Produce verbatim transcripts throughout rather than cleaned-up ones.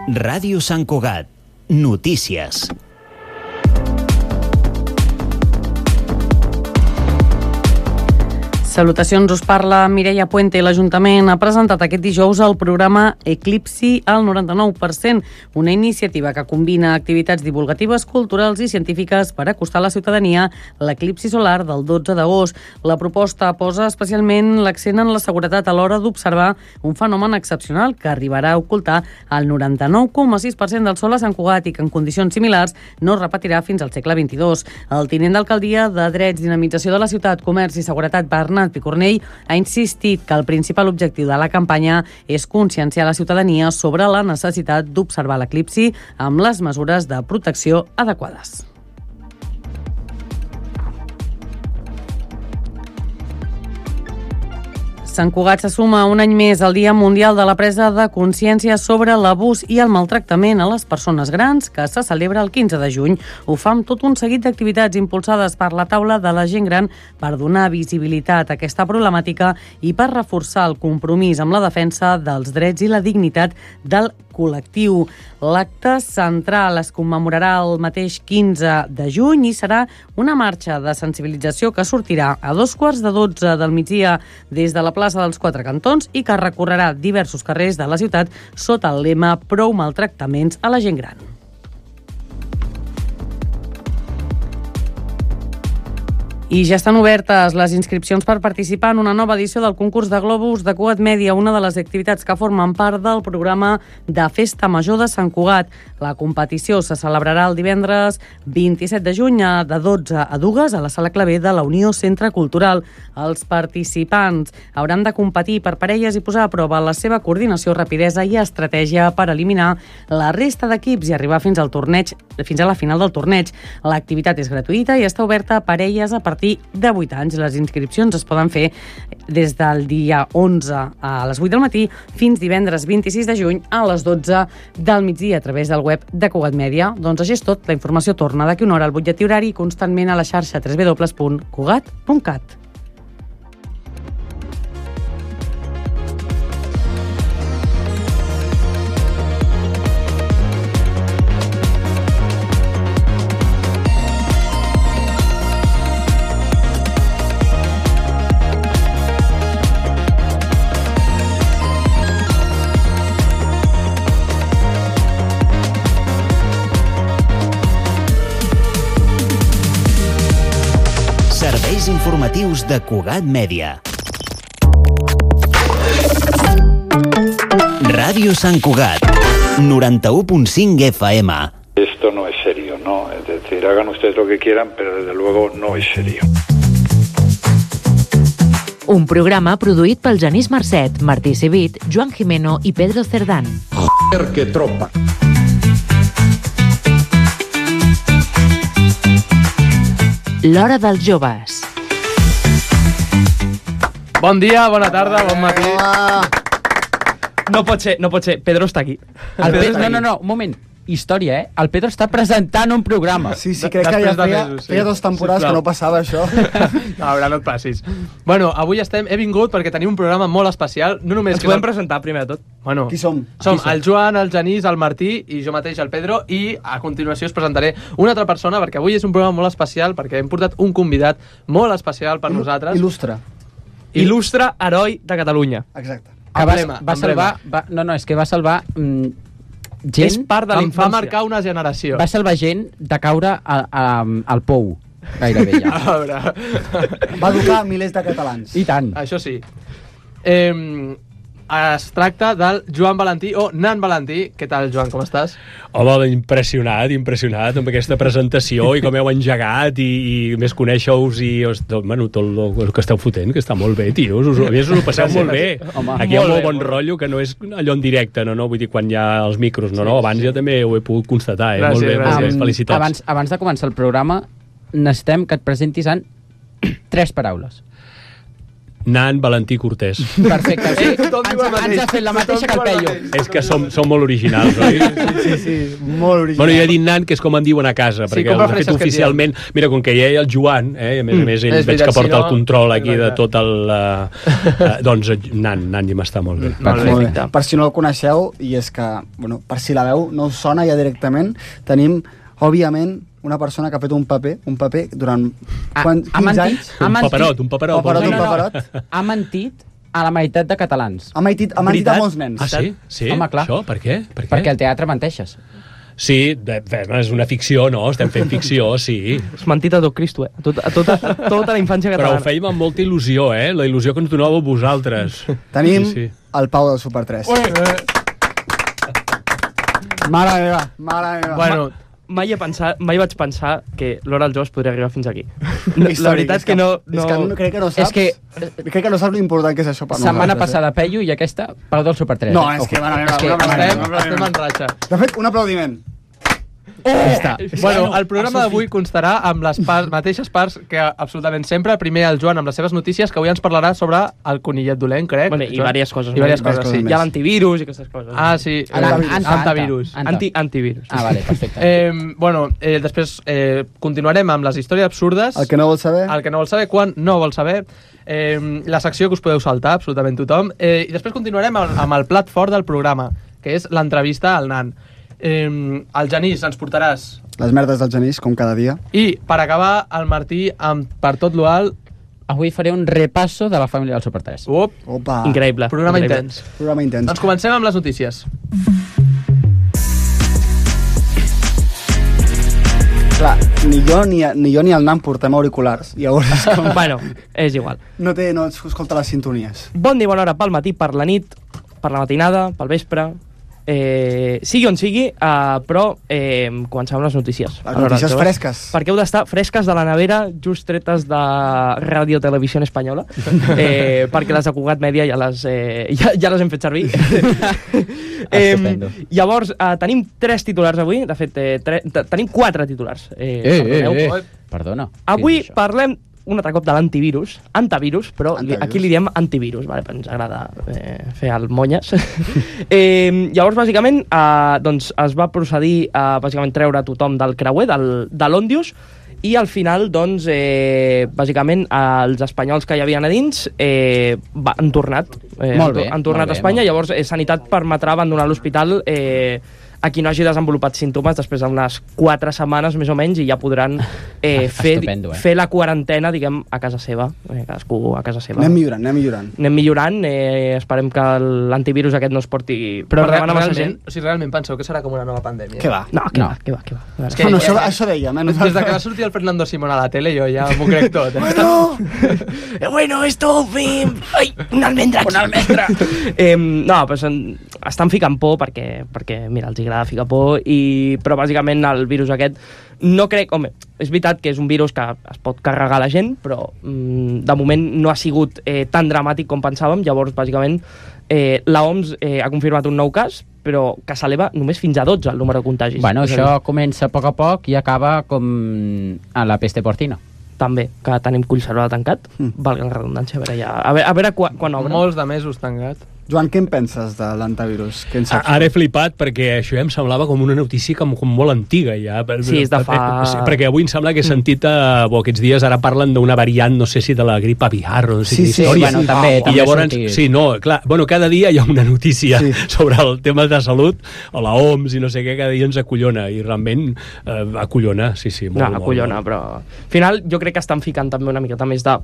Ràdio Sant Cugat. Notícies. Salutacions, us parla Mireia Puente. L'Ajuntament ha presentat aquest dijous el programa Eclipsi al noranta-nou per cent, una iniciativa que combina activitats divulgatives, culturals i científiques per acostar a la ciutadania l'eclipsi solar del dotze d'agost. La proposta posa especialment l'accent en la seguretat a l'hora d'observar un fenomen excepcional que arribarà a ocultar el noranta-nou coma sis per cent del sol a Sant Cugat i que en condicions similars no es repetirà fins al segle vint-i-dos. El tinent d'alcaldia de Drets, Dinamització de la Ciutat, Comerç i Seguretat, Bernat Picornell, ha insistit que el principal objectiu de la campanya és conscienciar la ciutadania sobre la necessitat d'observar l'eclipsi amb les mesures de protecció adequades. Sant Cugat se suma un any més al Dia Mundial de la Presa de Consciència sobre l'abús i el maltractament a les persones grans, que se celebra el quinze de juny. Ho fa amb tot un seguit d'activitats impulsades per la taula de la gent gran per donar visibilitat a aquesta problemàtica i per reforçar el compromís amb la defensa dels drets i la dignitat del col·lectiu. L'acte central es commemorarà el mateix quinze de juny i serà una marxa de sensibilització que sortirà a dos quarts de dotze del migdia des de la plaça dels Quatre Cantons i que recorrerà diversos carrers de la ciutat sota el lema Prou maltractaments a la gent gran. I ja estan obertes les inscripcions per participar en una nova edició del concurs de globus de Cugat Mèdia, una de les activitats que formen part del programa de Festa Major de Sant Cugat. La competició se celebrarà el divendres vint-i-set de juny de dotze a dues a la Sala Clavé de la Unió Centre Cultural. Els participants hauran de competir per parelles i posar a prova la seva coordinació, rapidesa i estratègia per eliminar la resta d'equips i arribar fins al torneig, fins a la final del torneig. L'activitat és gratuïta i està oberta a parelles a partir de vuit anys. Les inscripcions es poden fer des del dia onze a les vuit del matí fins divendres vint-i-sis de juny a les dotze del migdia a través del web de Cugat Mèdia. Doncs això és tot. La informació torna d'aquí una hora al butlletí horari constantment a la xarxa w w w punt cugat punt cat. Informatius de Cugat Mèdia. Ràdio Sant Cugat, noranta-u punt cinc F M. Esto no es serio, ¿no? Es decir, hagan ustedes lo que quieran, pero desde luego no es serio. Un programa produït pel Genís Marcet, Martí Civit, Joan Jimeno i Pedro Cerdán. Joder, que tropa. L'Hora dels Joves. Bon dia, bona tarda, bon matí. No pot ser, no pot ser. Pedro està aquí. El Pedro, no, no, no, un moment. Història, eh? El Pedro està presentant un programa. Sí, sí, crec que ja feia, mesos, sí. feia dos temporades Sisplau. que no passava això. No, ara no et passis. Bueno, avui estem, he vingut perquè tenim un programa molt especial. No només Ens que podem no... presentar primer de tot. Bueno, Qui som? Som Qui som? el Joan, el Genís, el Martí i jo mateix, el Pedro, i a continuació us presentaré una altra persona perquè avui és un programa molt especial perquè hem portat un convidat molt especial per Il nosaltres. Il·lustre. Il·lustre heroi de Catalunya. Exacte. Que va, va salvar... Va, no, no, és que va salvar... Mm, gent... És part de l'infància. Va marcar una generació. Va salvar gent de caure a, a, al pou, gairebé ja. A veure... Va educar milers de catalans. I tant. Això sí. Eh, es tracta del Joan Valentí, o Nan Valentí. Què tal, Joan, com estàs? Home, impressionat, impressionat amb aquesta presentació i com heu engegat i, i més conèixer-vos i bueno, tot el que esteu fotent, que està molt bé, tios, us, a més us ho passeu molt bé. Home, aquí hi ha molt, molt bon rotllo, que no és allò en directe, no, no? Vull dir, quan hi ha els micros, no, sí, no, abans sí. Ja també ho he pogut constatar, eh? Gràcies, molt bé, gràcies. Molt bé, felicitats. Abans, abans de començar el programa, necessitem que et presentis en tres paraules. Nan, Valentí, Cortés. Perfecte. Sí. Ens, ens ha fet la mateixa que el Peyu. És que som, som molt originals, oi? Sí, sí, sí, molt original. Bueno, jo he dit Nan, que és com en diuen a casa, Sí, perquè com de prefereixes fet que et oficialment... Mira, com que hi ha el Joan, eh, i a més a més ell És veig veritat, que porta si no- el control aquí de Exacte. tot el... Uh, uh, doncs Nan, Nan ja m'està molt bé. Molt bé. Molt bé. Per si no el coneixeu, i és que, bueno, per si la veu no us sona ja directament, tenim, òbviament, una persona que ha fet un paper, un paper durant Ha- quan, ha quinze mentit. anys. Ha Un mentit. paperot, un paperot. Paperot, vols un dir? paperot. Ha mentit a la meitat de catalans. Ha mentit, ha mentit a Veritat? molts nens. Ah, sí? Sí? Home, clar. Això? Per què? Per què? Perquè al teatre menteixes. Sí, de, bé, és una ficció, no? Estem fent ficció, sí. És mentit a tot Cristo, eh? A tota, a tota, a tota la infància Però ho catalana. fèiem amb molta il·lusió, eh? La il·lusió que ens donàveu vosaltres. Tenim Sí, sí. el Pau del Super tres. Mare meva, mare meva. Bueno, mai, he pensat, mai vaig pensar que l'Hora als Jocs podria arribar fins aquí. No, la Històric, veritat és que no... És que no, crec que no saps... És que- crec que no saps l'important que és això per Setmana nosaltres, passada Peyu i aquesta Pau del Super tres. No, eh? és que, Ojo. mare meva, És que, una mare mare meva. meva. Estem en ratxa. De fet, un aplaudiment. Oh! està. Bueno, el programa d'avui constarà amb les parts, mateixes parts que absolutament sempre. Primer el Joan amb les seves notícies, que avui ens parlarà sobre el conillet dolent, crec. Bueno, i Joan? diverses coses. I diverses més. coses, sí. Hi ha l'antivirus i aquestes coses. Ah, sí. Anta- Eh, anta- Antivirus. anta. Anti, antivirus. Ah, vale, perfecte. Eh, bueno, eh, després eh, continuarem amb les històries absurdes. El que no vols saber... El que no vol saber, quan no vol saber. Eh, la secció que us podeu saltar, absolutament tothom. Eh, I després continuarem amb, amb el plat fort del programa, que és l'entrevista al nan. Eh, el Genís, ens portaràs. Les merdes del Genís, com cada dia. I, per acabar, el Martí, amb Per tot lo alt. Avui faré un repasso de la família del Super tres. Up, Opa. Increïble. programa Increïble. intens. Programa intens. Doncs comencem amb les notícies. Clar, ni jo ni, ni jo ni el nan portem auriculars. Llavors, és com... Bueno, és igual. no, té, no escolta les sintonies. Bon dia, bona hora pel matí, per la nit, per la matinada, pel vespre... Eh, sigui on sigui, uh, però eh, comencem amb les notícies. Les notícies Aleshores, fresques. Perquè heu d'estar fresques de la nevera, just tretes de Ràdio Televisió Espanyola, eh, perquè les de Cugat Mèdia ja les, eh, ja, ja les hem fet servir. Estupendo. eh, llavors, uh, tenim tres titulars avui, de fet, eh, tre tenim quatre titulars. Eh, Eh, perdoneu. eh, eh. Perdona. Avui Què és això? parlem un altre cop de l'antivirus, antivirus, però li, Antivirus. aquí li diem antivirus, vale? Ens agrada eh, fer el monyes. eh, llavors, bàsicament, eh, doncs es va procedir a bàsicament treure tothom del creuer, del, de l'Òndius, i al final, doncs, eh, bàsicament, els espanyols que hi havien a dins eh, va, han tornat. Eh, Molt han, bé, han tornat molt bé, a Espanya, molt bé. llavors eh, Sanitat permetrà abandonar l'hospital eh, a qui no hagi desenvolupat símptomes després d'unes quatre setmanes més o menys i ja podran eh, fer, Estupendo, eh? fer la quarantena, diguem, a casa seva, eh, cadascú a casa seva. Anem millorant, anem millorant. Anem millorant, eh, esperem que l'antivirus aquest no es porti Però per re davant a massa realment, gent. o sigui, realment penseu que serà com una nova pandèmia? Què va? No, que No. va, que va, que va. A veure. que- Bueno, això, eh, això dèiem, eh? Des de que va sortir el Fernando Simón a la tele jo ja m'ho crec tot. Eh? Bueno, eh, bueno, esto, fin... Ai, un almendra aquí. Un almendra. eh, no, pues, en, estan ficant por perquè, perquè, mira, els agrada ficar por, i, però bàsicament el virus aquest no crec... Home, és veritat que és un virus que es pot carregar la gent, però mm, de moment no ha sigut eh, tan dramàtic com pensàvem, llavors, bàsicament, eh, la O M S eh, ha confirmat un nou cas, però que s'eleva només fins a dotze el número de contagis. Bueno, És a això dir, comença a poc a poc i acaba com a la peste porcina. també, que tenim Collserola tancat, mm. valga la redundància, a veure, ja, a veure, a veure quan, quan obre. Molts de mesos tancat. Joan, què en penses de l'antivirus? Què en saps? Ara he flipat perquè això ja em semblava com una notícia com, com molt antiga ja. Sí, és de fa- Sí, perquè avui em sembla que he sentit eh, bo, aquests dies ara parlen d'una variant, no sé si de la grip aviar o no sé Sí, quina sí, història. bueno, també- I també llavors, sortit. sí, no, clar, bueno, cada dia hi ha una notícia Sí. sobre el tema de salut, o la O M S i no sé què, cada dia ens acollona, i realment eh, acollona, sí, sí, molt, No, molt, acollona, molt. però... Al final, jo crec que estan ficant també una miqueta més de...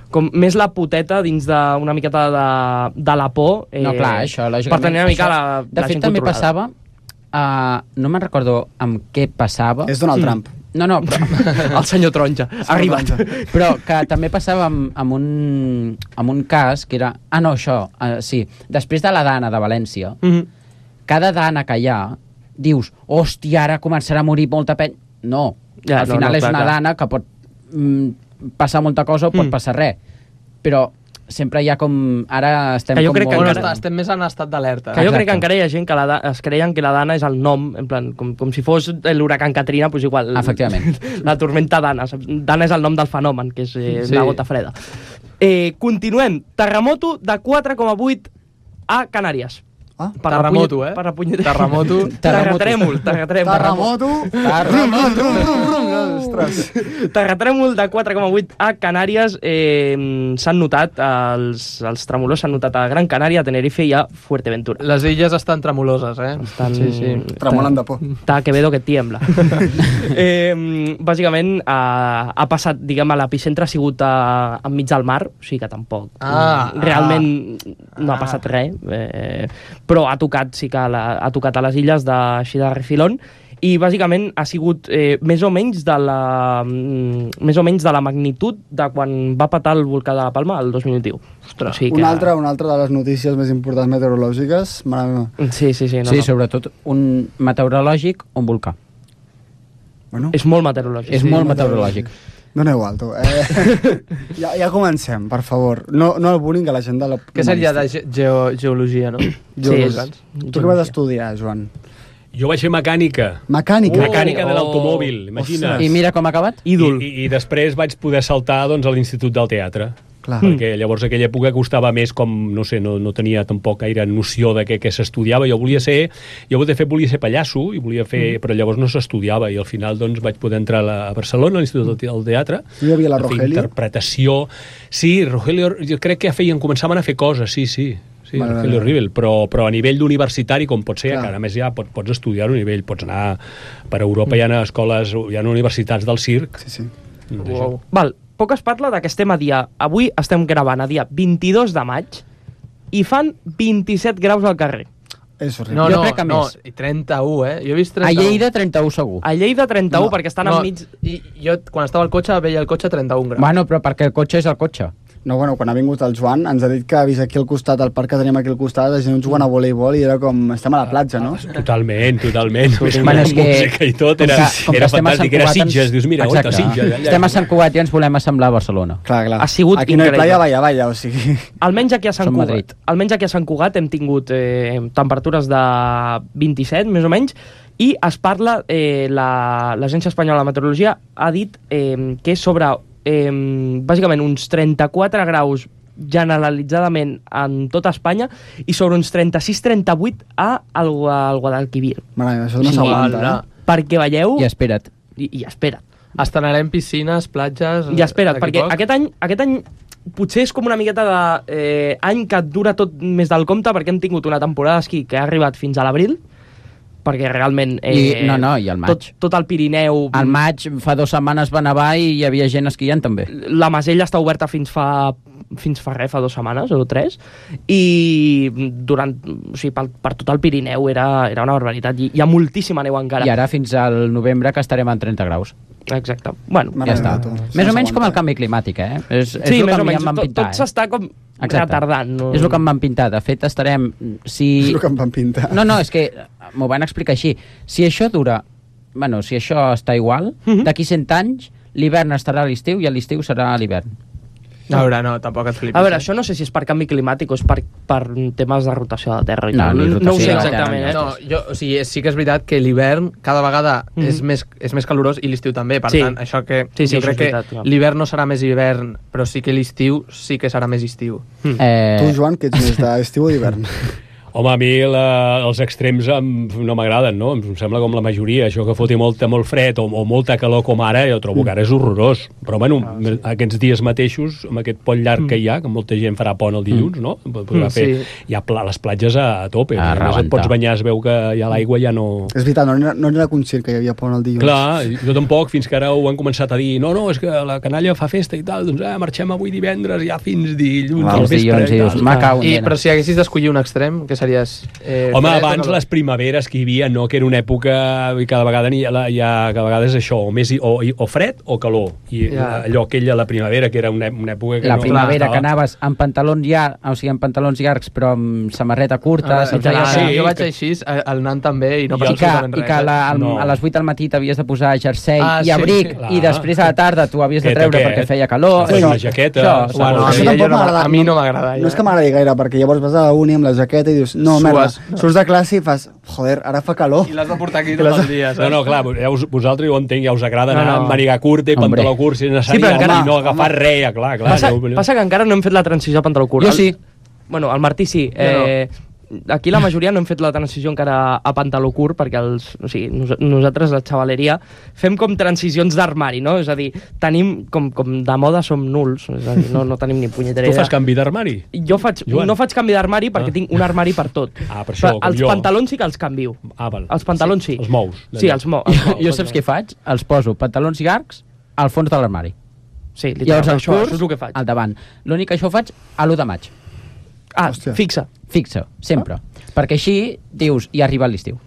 Com més la puteta dins d'una miqueta de, de la por. Eh, No, clar, això, lògicament. Per tenir una mica això, la, de la fet, gent també controlada. passava... Uh, no me'n recordo amb què passava. És Donald Trump. No, no, però, El senyor Taronja. Ha arribat. però que també passava amb, amb, un, amb un cas que era... Ah, no, això, uh, sí. Després de la Dana de València, Mm -hmm. cada Dana que hi ha, dius, hòstia, ara començarà a morir molta penya. No, Ja, al no, final no, és clar, una clar. Dana que pot mm, passar molta cosa o pot Mm. passar res. Però sempre hi ha com... Ara estem Que jo com crec que molt... Bueno, encara- està, estem més en estat d'alerta. Que jo crec Exacte. que encara hi ha gent que la, da- es creien que la Dana és el nom, en plan, com, com si fos l'huracán Katrina, pues igual. Efectivament. La tormenta Dana. saps? Dana és el nom del fenomen, que és eh, Sí. una gota freda. Eh, continuem. Terremoto de quatre coma vuit a Canàries. Ah, per terremoto, repuny- eh? Per repuny- Terremoto. Terratrèmol. Terratrèmol. Terremoto. Ostres. Terratrèmol de quatre coma vuit a Canàries. Eh, s'han notat, els, els tremolors s'han notat a Gran Canària, a Tenerife i a Fuerteventura. Les illes estan tremoloses, eh? Estan... Sí, sí. Tremolen de por. Està Quevedo que tiembla. eh, bàsicament, ha, ha passat, diguem, a l'epicentre ha sigut a, enmig del mar, o sigui que tampoc. Ah, realment ah, no ha passat res, eh, però ha tocat, sí que la, ha tocat a les illes de, així de refilón, i bàsicament ha sigut eh, més o menys de la mm, més o menys de la magnitud de quan va patar el volcà de la Palma el dos mil vint u. Ostres, o sigui que... Una altra, una altra de les notícies més importants meteorològiques. Mare meva. Sí, sí, sí. No, sí, no. sobretot un meteorològic o un volcà. Bueno, És molt meteorològic. És sí. molt meteorològic. doneu alto. Eh, ja, ja comencem, per favor. No, no el bullying a la gent de la... Què seria de ge geo geologia, no? Geologia. Tu què vas estudiar, Joan? Jo vaig fer mecànica. Mecànica? Oh, mecànica de oh. l'automòbil, imagina. Ostres. I mira com ha acabat. Ídol. I, i, I després vaig poder saltar doncs, a l'Institut del Teatre. Clar. Perquè llavors aquella època costava més com, no sé, no, no tenia tampoc gaire noció de què, què s'estudiava. Jo volia ser, jo de fet volia ser pallasso, i volia fer, mm. però llavors no s'estudiava, i al final doncs vaig poder entrar a, la, a Barcelona, a l'Institut del, del Teatre. No hi havia la a fer Rogelio? Interpretació. Sí, Rogelio, jo crec que feien, començaven a fer coses, sí, sí. Sí, Vale, Rogelio vale. Rivel, però, però a nivell d'universitari, com pot ser, Clar. que a més ja pots, pots estudiar a un nivell, pots anar per Europa, mm. hi ha escoles, hi ha universitats del circ. Sí, sí. Wow. Val, poc es parla de que estem a dia... Avui estem gravant a dia vint-i-dos de maig i fan vint-i-set graus al carrer. És horrible. No, Jo no, crec que no, més. i trenta-u, eh? Jo he vist A trenta-u. Lleida, trenta-u segur. A Lleida, trenta-u, No, perquè estan no, enmig... I jo, quan estava al cotxe, veia el cotxe a trenta-un graus. Bueno, però perquè el cotxe és el cotxe. No, bueno, quan ha vingut el Joan ens ha dit que ha vist aquí al costat, al parc que tenim aquí al costat, la gent jugant a voleibol i era com... Estem a la platja, no? Totalment, totalment. Bueno, és que- música i tot, era, Com que- com que era estem a Sant fantàstic, era Cugat, ens- Sitges, dius, mira, Exacte. oita, Sitges. Allà. Estem a Sant Cugat i ens volem assemblar a Barcelona. Clar, clar. Ha sigut aquí no hi ha increïble. playa, vaya, vaya, o sigui... Almenys aquí a Sant Som Cugat, Madrid. almenys aquí a Sant Cugat hem tingut eh, temperatures de vint-i-set, més o menys, i es parla, eh, la- l'Agència Espanyola de Meteorologia ha dit eh, que és sobre, eh, bàsicament, uns trenta-quatre graus generalitzadament en tota Espanya i sobre uns trenta-sis trenta-vuit a el, al Guadalquivir. Mare meva, això no Sí, s'aguanta, ala. eh? Perquè veieu... I espera't. I, i espera't. Estrenarem piscines, platges... I espera't, d'aquí perquè poc. aquest any, aquest any potser és com una miqueta de eh, any que dura tot més del compte, perquè hem tingut una temporada d'esquí que ha arribat fins a l'abril, perquè realment... Eh, I- no, no, i al maig. Tot, tot el Pirineu... Al maig, fa dues setmanes va nevar i hi havia gent esquiant també. La Masella està oberta fins fa fins fa res, fa dues setmanes o tres, i durant, o sigui, per, per tot el Pirineu era, era una barbaritat. I hi ha moltíssima neu encara. I ara fins al novembre que estarem en trenta graus. Exacte. Bueno, Mare Ja està. meva, tu. Més No o menys com el s'aguanta. canvi climàtic, eh? És, és sí, el més que o a mi menys. em van Tot, pintar, tot s'està com Exacte. retardant. No? És el que em van pintar. De fet, estarem... Si... És el que em van pintar. No, no, és que m'ho van explicar així. Si això dura... Bueno, si això està igual, Mhm. d'aquí cent anys, l'hivern estarà a l'estiu i a l'estiu serà a l'hivern. A veure, no, tampoc et flipis. A veure, eh? això no sé si és per canvi climàtic o és per, per temes de rotació de la Terra. I No, tal. ni no, rotació ho sé de la exactament, Terra, eh? No, jo, o sigui, sí que és veritat que l'hivern cada vegada Mhm. és, més, és més calorós i l'estiu també, per Sí. tant, això que Sí, sí, jo això crec és veritat, que clar. l'hivern no serà més hivern, però sí que l'estiu sí que serà més estiu. Mm. Eh, Tu, Joan, que ets més d'estiu o d'hivern? Home, a mi la, els extrems em, no m'agraden, no? Em sembla com la majoria. Això que foti molta, molt fred o, o molta calor com ara, jo trobo que ara és horrorós. Però, bueno, ah, sí. aquests dies mateixos, amb aquest pont llarg Mm. que hi ha, que molta gent farà pont el dilluns, no? Podrà Mm, fer, sí. hi ha pla, les platges a, a tope. A A més, et rebentar. pots banyar, es veu que ja l'aigua ja no... És veritat, no n'era no n'era conscient que hi havia pont el dilluns. Clar, jo tampoc, fins que ara ho han començat a dir no, no, és que la canalla fa festa i tal, doncs eh, marxem avui divendres ja fins dilluns Va, al els vespre dilluns, i dius, tal. "Me cago en I, dena". però si haguessis d'escollir un extrem, què series? Eh, Home, fred o abans calor? les primaveres que hi havia, no? Que era una època i cada vegada hi ha, hi ha cada vegada és això, o, més, o, o fred o calor. I Ja. allò aquella, la primavera, que era una, una època que La no... primavera estava- que anaves amb pantalons llargs, o sigui, amb pantalons llargs però amb samarreta curta, Ah, se't clar, feia sí, jo que... vaig que- així, a- al nan també, i no I passa que, absolutament i res. que la, al, No. a les vuit del matí t'havies de posar jersei Ah, i sí, abric, clar. i després a la tarda t'ho havies de Aquest, treure aquest. perquè feia calor. Sí, Això- la jaqueta. Això, Sí, Bueno, segons. a Això mi, tampoc jo no, m'agrada. a mi no m'agrada. No és que m'agradi gaire, perquè llavors vas a la uni amb la jaqueta i dius, dius, no, merda, surts de classe i fas, joder, ara fa calor. I l'has de portar aquí tot el dia, saps? No, no, clar, ja us, vosaltres ho entenc, ja us agrada No, anar no. amb màniga curta i Hombre. pantaló curt, si és necessari, Sí, però encara- i no agafar res, clar, clar. Passa, aneu- passa que encara no hem fet la transició a pantaló curt. Jo sí. Bueno, el Martí sí. Eh, aquí la majoria no hem fet la transició encara a pantaló curt perquè els, o sigui, nos, nosaltres, la xavaleria, fem com transicions d'armari, no? És a dir, tenim com, com de moda som nuls, és a dir, no, no tenim ni punyetera Tu idea. fas canvi d'armari? Jo faig, Joan? no faig canvi d'armari perquè Ah. tinc un armari per tot. Ah, per això, Però com els jo. pantalons sí que els canvio. Ah, val. Els pantalons sí. Els mous. Sí, els, mo els mous. Jo saps què faig? Els poso pantalons llargs al fons de l'armari. Sí, Llavors literalment, els això, curts això és el que faig. al davant. L'únic que això ho faig a l'u de maig. Ah, Hòstia. fixa. Fixa, sempre. Perquè així dius, i arriba l'estiu.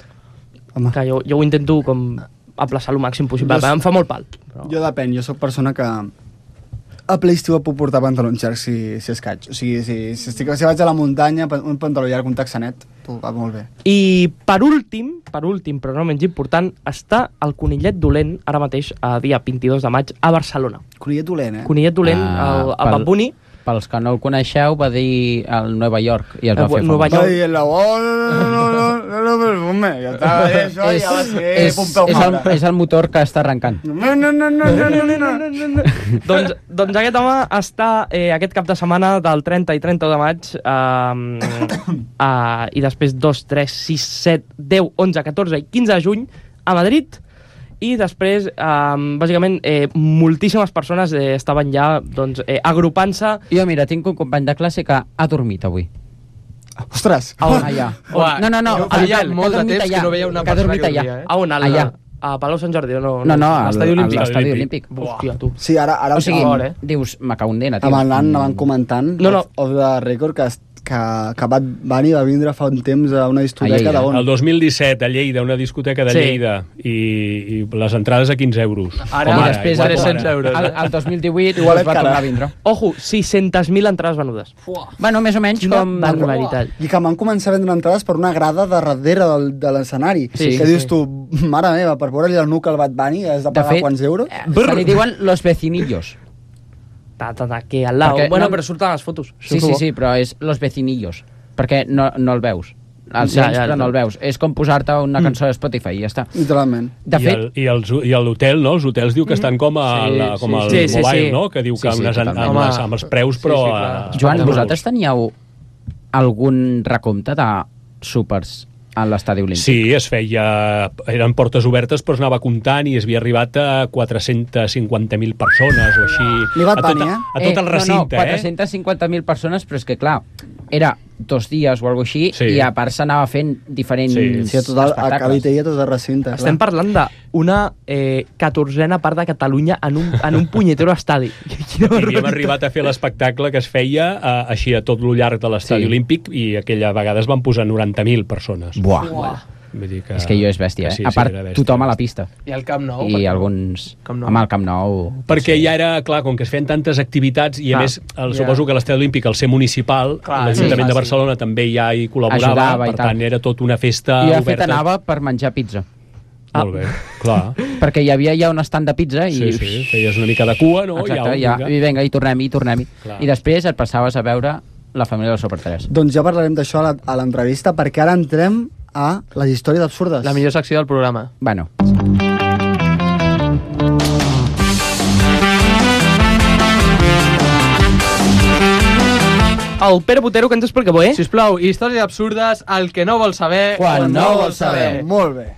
Home, Que jo, jo ho intento com aplaçar el màxim possible. Jo- Em fa molt pal. Però... jo depèn, jo sóc persona que a ple estiu puc portar pantalons llargs si, si escaig. O sigui, si, si, estic, si vaig a la muntanya, un pantaló llarg, un taxanet, tu, va molt bé. I per últim, per últim, però no menys important, està el Conillet Dolent, ara mateix, a dia vint-i-dos de maig, a Barcelona. Conillet dolent, eh? Conillet Dolent, Ah, el, el pel- Bad Bunny. Pels que no el coneixeu, va dir al Nova York i es va Eh, fer Nova famós. York. Ai, el la oh, no, no, no, no, no, perfume. Ja estava bé, això és, ja va ser és, Pompeu és, el, Fabra. és el motor que està arrencant. No, no, no, no, no, no, no. doncs, doncs aquest home està eh, aquest cap de setmana del trenta i trenta de maig eh, eh, i després dos, tres, sis, set, deu, onze, catorze i quinze de juny a Madrid. I després, eh, bàsicament, eh, moltíssimes persones eh, estaven ja doncs, eh, agrupant-se. Jo, mira, tinc un company de classe que ha dormit avui. Ostres. Ah, allà. Uah, No, no, no. jo al feia hotel, molt que ha de dormit temps que allà, no veia una que ha persona dormit que allà. dormia, eh? A on? Al, Allà. A Palau Sant Jordi? No, No, no, a al, l'Estadi a Olímpic. l'estadi Olímpic. olímpic. Hòstia, tu. Sí, ara, ara O sigui, fort, eh? dius, me cago en dena, tio. amb el nan anaven comentant, No, no. off, off the record, que, que, que Bad Bunny va vindre fa un temps a una discoteca A Lleida. d'on? El dos mil disset, a Lleida, una discoteca de Sí. Lleida, i, i les entrades a quinze euros. Ara, Com I després, igual el, com tres-cents ara. euros. el, el dos mil divuit Igual es va encara. tornar a vindre. Ojo, sis cents mil entrades venudes. Bueno, més o menys Quina com... barbaritat. I que van començar a vendre entrades per una grada de darrere del, de l'escenari. Sí, que sí, dius sí. tu, mare meva, per veure-li el nuc al Bad Bunny has de De pagar fet, quants euros? eh, se li diuen los vecinillos. Ta, ta, ta, aquí al lado. Perquè Bueno, no- però surten les fotos. Sí, sí, sí, però és los vecinillos. Perquè no, no el veus. El Ja, sents, ja, però ja. no el veus. És com posar-te una cançó de Spotify i ja està. Literalment. De I, fet, el, i, els, I l'hotel, no? Els hotels diu que estan com, a, Sí, la, com sí, al sí, sí, mobile, sí. no? Que diu Sí, que sí, unes, amb, totalment. amb, les, Home, amb els preus, sí, però... sí, a- clar. Joan, a- vosaltres teníeu algun recompte de súpers a l'estadi olímpic? Sí, es feia... Eren portes obertes, però es anava comptant i es havia arribat a quatre-cents cinquanta mil persones o així. Ni Bad a tot, Bunny, eh? a tot el recinte, no, no, eh? quatre-cents cinquanta mil persones, però és que, clar, era dos dies o alguna així, Sí. i a part s'anava fent diferents Sí. Sí, a tot el, a espectacles. Cavitella, a tot el recinte. Estem parlant d'una eh, catorzena part de Catalunya en un, en un punyetero estadi. Quina I havíem barbaritat. arribat a fer l'espectacle que es feia eh, així a tot lo llarg de l'estadi Sí. olímpic i aquella vegada es van posar noranta mil persones. Buah. Uah. Vull dir que... És que jo és bèstia, que eh? sí, a sí, part, era bèstia. tothom a la pista. I el Camp Nou. I perquè- alguns... Camp Nou. Home, el Camp Nou... Perquè ja era, clar, com que es feien tantes activitats i a Clar. més, el, Ja. suposo que l'Estadi Olímpic, al ser municipal, Clar, l'Ajuntament sí, de fàcil. Barcelona també ja hi col·laborava, Ajudava i per tal. tant era tot una festa I de fet oberta. anava per menjar pizza. Molt bé, clar. Perquè hi havia ja un estand de pizza i... Sí, sí, feies una mica de cua, no? Exacte, ja, ja, i vinga, i tornem-hi, i tornem-hi. Clar. I després et passaves a veure la família del Super tres. Doncs ja parlarem d'això a la- a l'entrevista, perquè ara entrem a les històries absurdes. La millor secció del programa. Bueno, El Pere Botero, que ens explica, eh? Sisplau, històries absurdes, el que no vol saber... Quan no vol saber. Molt bé.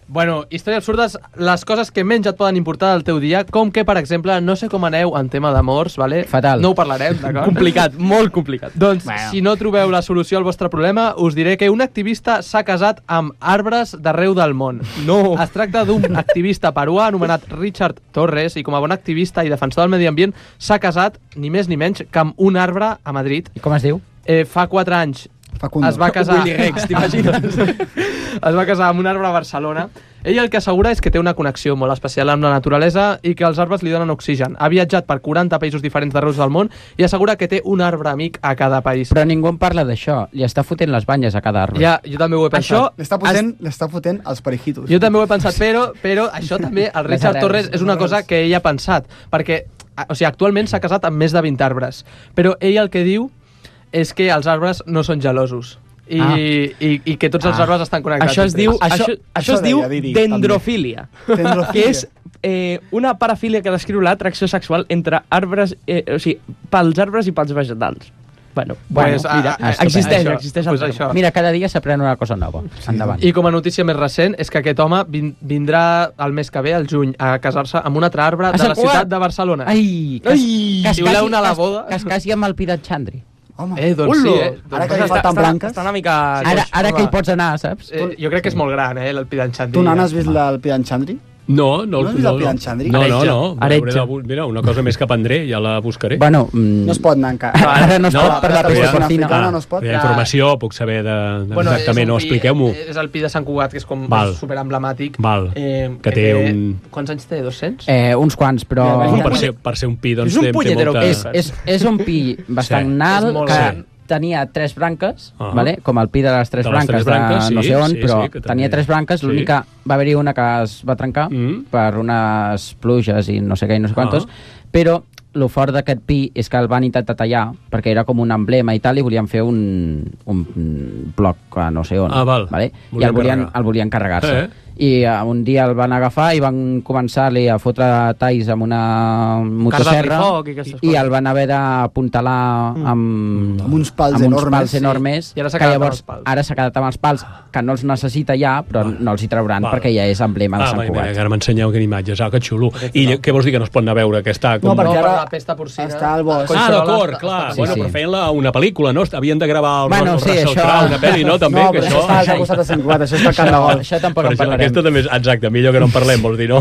Bueno, històries absurdes, les coses que menys et poden importar del teu dia, com que, per exemple, no sé com aneu en tema d'amors, vale? Fatal. No ho parlarem, d'acord? Complicat, molt complicat. Doncs, Bueno. si no trobeu la solució al vostre problema, us diré que un activista s'ha casat amb arbres d'arreu del món. No. Es tracta d'un activista peruà anomenat Richard Torres i com a bon activista i defensor del medi ambient s'ha casat, ni més ni menys, que amb un arbre a Madrid. i com es diu? Eh, fa quatre anys Facundo. es va casar... Willy Rex, t'imagines? es va casar amb un arbre a Barcelona. Ell el que assegura és que té una connexió molt especial amb la naturalesa i que els arbres li donen oxigen. Ha viatjat per quaranta països diferents d'arreu del món i assegura que té un arbre amic a cada país. Però ningú en parla d'això. Li està fotent les banyes a cada arbre. Ja, jo també ho he pensat. Això- L'està fotent, l'està fotent els perijitos. Jo també ho he pensat, però, però això també, el Les Richard arrels. Torres és una cosa que ell ha pensat, perquè o sigui, actualment s'ha casat amb més de vint arbres, però ell el que diu és que els arbres no són gelosos. i, ah. i, i que tots els arbres estan connectats. Això es diu, Això- això, això això es diu deia Didi, dendrofília, Dendrofília. que és eh, una parafília que descriu l'atracció sexual entre arbres, eh, o sigui, pels arbres i pels vegetals. Bueno, Pues, bueno mira, ah, existeix, això, existeix el pues terme. això. Mira, cada dia s'aprèn una cosa nova. Endavant. I com a notícia més recent és que aquest home vin vindrà el mes que ve, al juny, a casar-se amb un altre arbre de Sant la Cugat! ciutat de Barcelona. Ai, que, es, Ai! que, es Si voleu casi, anar a la que es- boda... que es casi amb el Pidat Xandri. Home, Eh, doncs sí, eh? Ara que Doncs li falten està, branques... està una mica... Ara, ara home. que hi pots anar, saps? Eh, jo crec que és molt gran, eh, el Pidanchandri. Tu, Nan, has vist el Pidan Chandri? No, no, No has vist el Pidan Chandri? No, no, no. Aretja. Hauré de bu- Mira, una cosa més que aprendré, ja la buscaré. Bueno, mm, No es pot anar encara. ara no es No, pot per la però ja- resta africana porcina. no es pot. Hi ha informació, puc saber de, de Bueno, exactament, és no, un pi- expliqueu-m'ho. És el pi de Sant Cugat, que és com Val. super emblemàtic. Val. Eh, Que té un- Quants anys té? dos-cents? Eh, uns quants, però... Ja, Home, per, ser, per ser un pi, doncs, És un té, té punyetero molta... És, és, és un pi bastant Sí. nal És molt que gran. tenia tres branques, Ah. vale? Com el pi de les tres De les branques, tres branques, de no sí, sé on, sí, però sí, que també- tenia tres branques, sí. l'única va haver-hi una que es va trencar Mm. per unes pluges i no sé què i no sé quantos, Ah. però el fort d'aquest pi és que el van intentar tallar perquè era com un emblema i tal i volien fer un, un bloc a no sé on. Ah, val. Vale? I Volien el volien, carregar. el volien carregar-se. Eh. I uh, un dia el van agafar i van començar-li a fotre talls amb una motosserra foc i aquestes i coses. el van haver d'apuntalar amb, Amb uns pals amb uns enormes, pals sí. enormes I ara s'ha que quedat amb llavors els pals. ara s'ha quedat amb els pals que no els necessita ja però no els hi trauran Val. perquè ja és emblema de Ah, Sant mira, Cugat. que ara m'ensenyeu que imatges, ah, que xulo. I què vols dir, que no es pot anar a veure, que està com... No, perquè No, per ara la pesta porcina. està al bosc. Ah, Collserola d'acord, està- clar. Sí, bueno, sí. però feien-la una pel·lícula, no? Havien de gravar el Bueno, el sí, Russell això- Crowe, una pel·li, no? També, No, que però això això... està al costat de Sant Cugat, això està al Camp de Això, Gol. això tampoc Però en això, parlarem. aquesta també és... Exacte, millor que no en parlem, vols dir, no?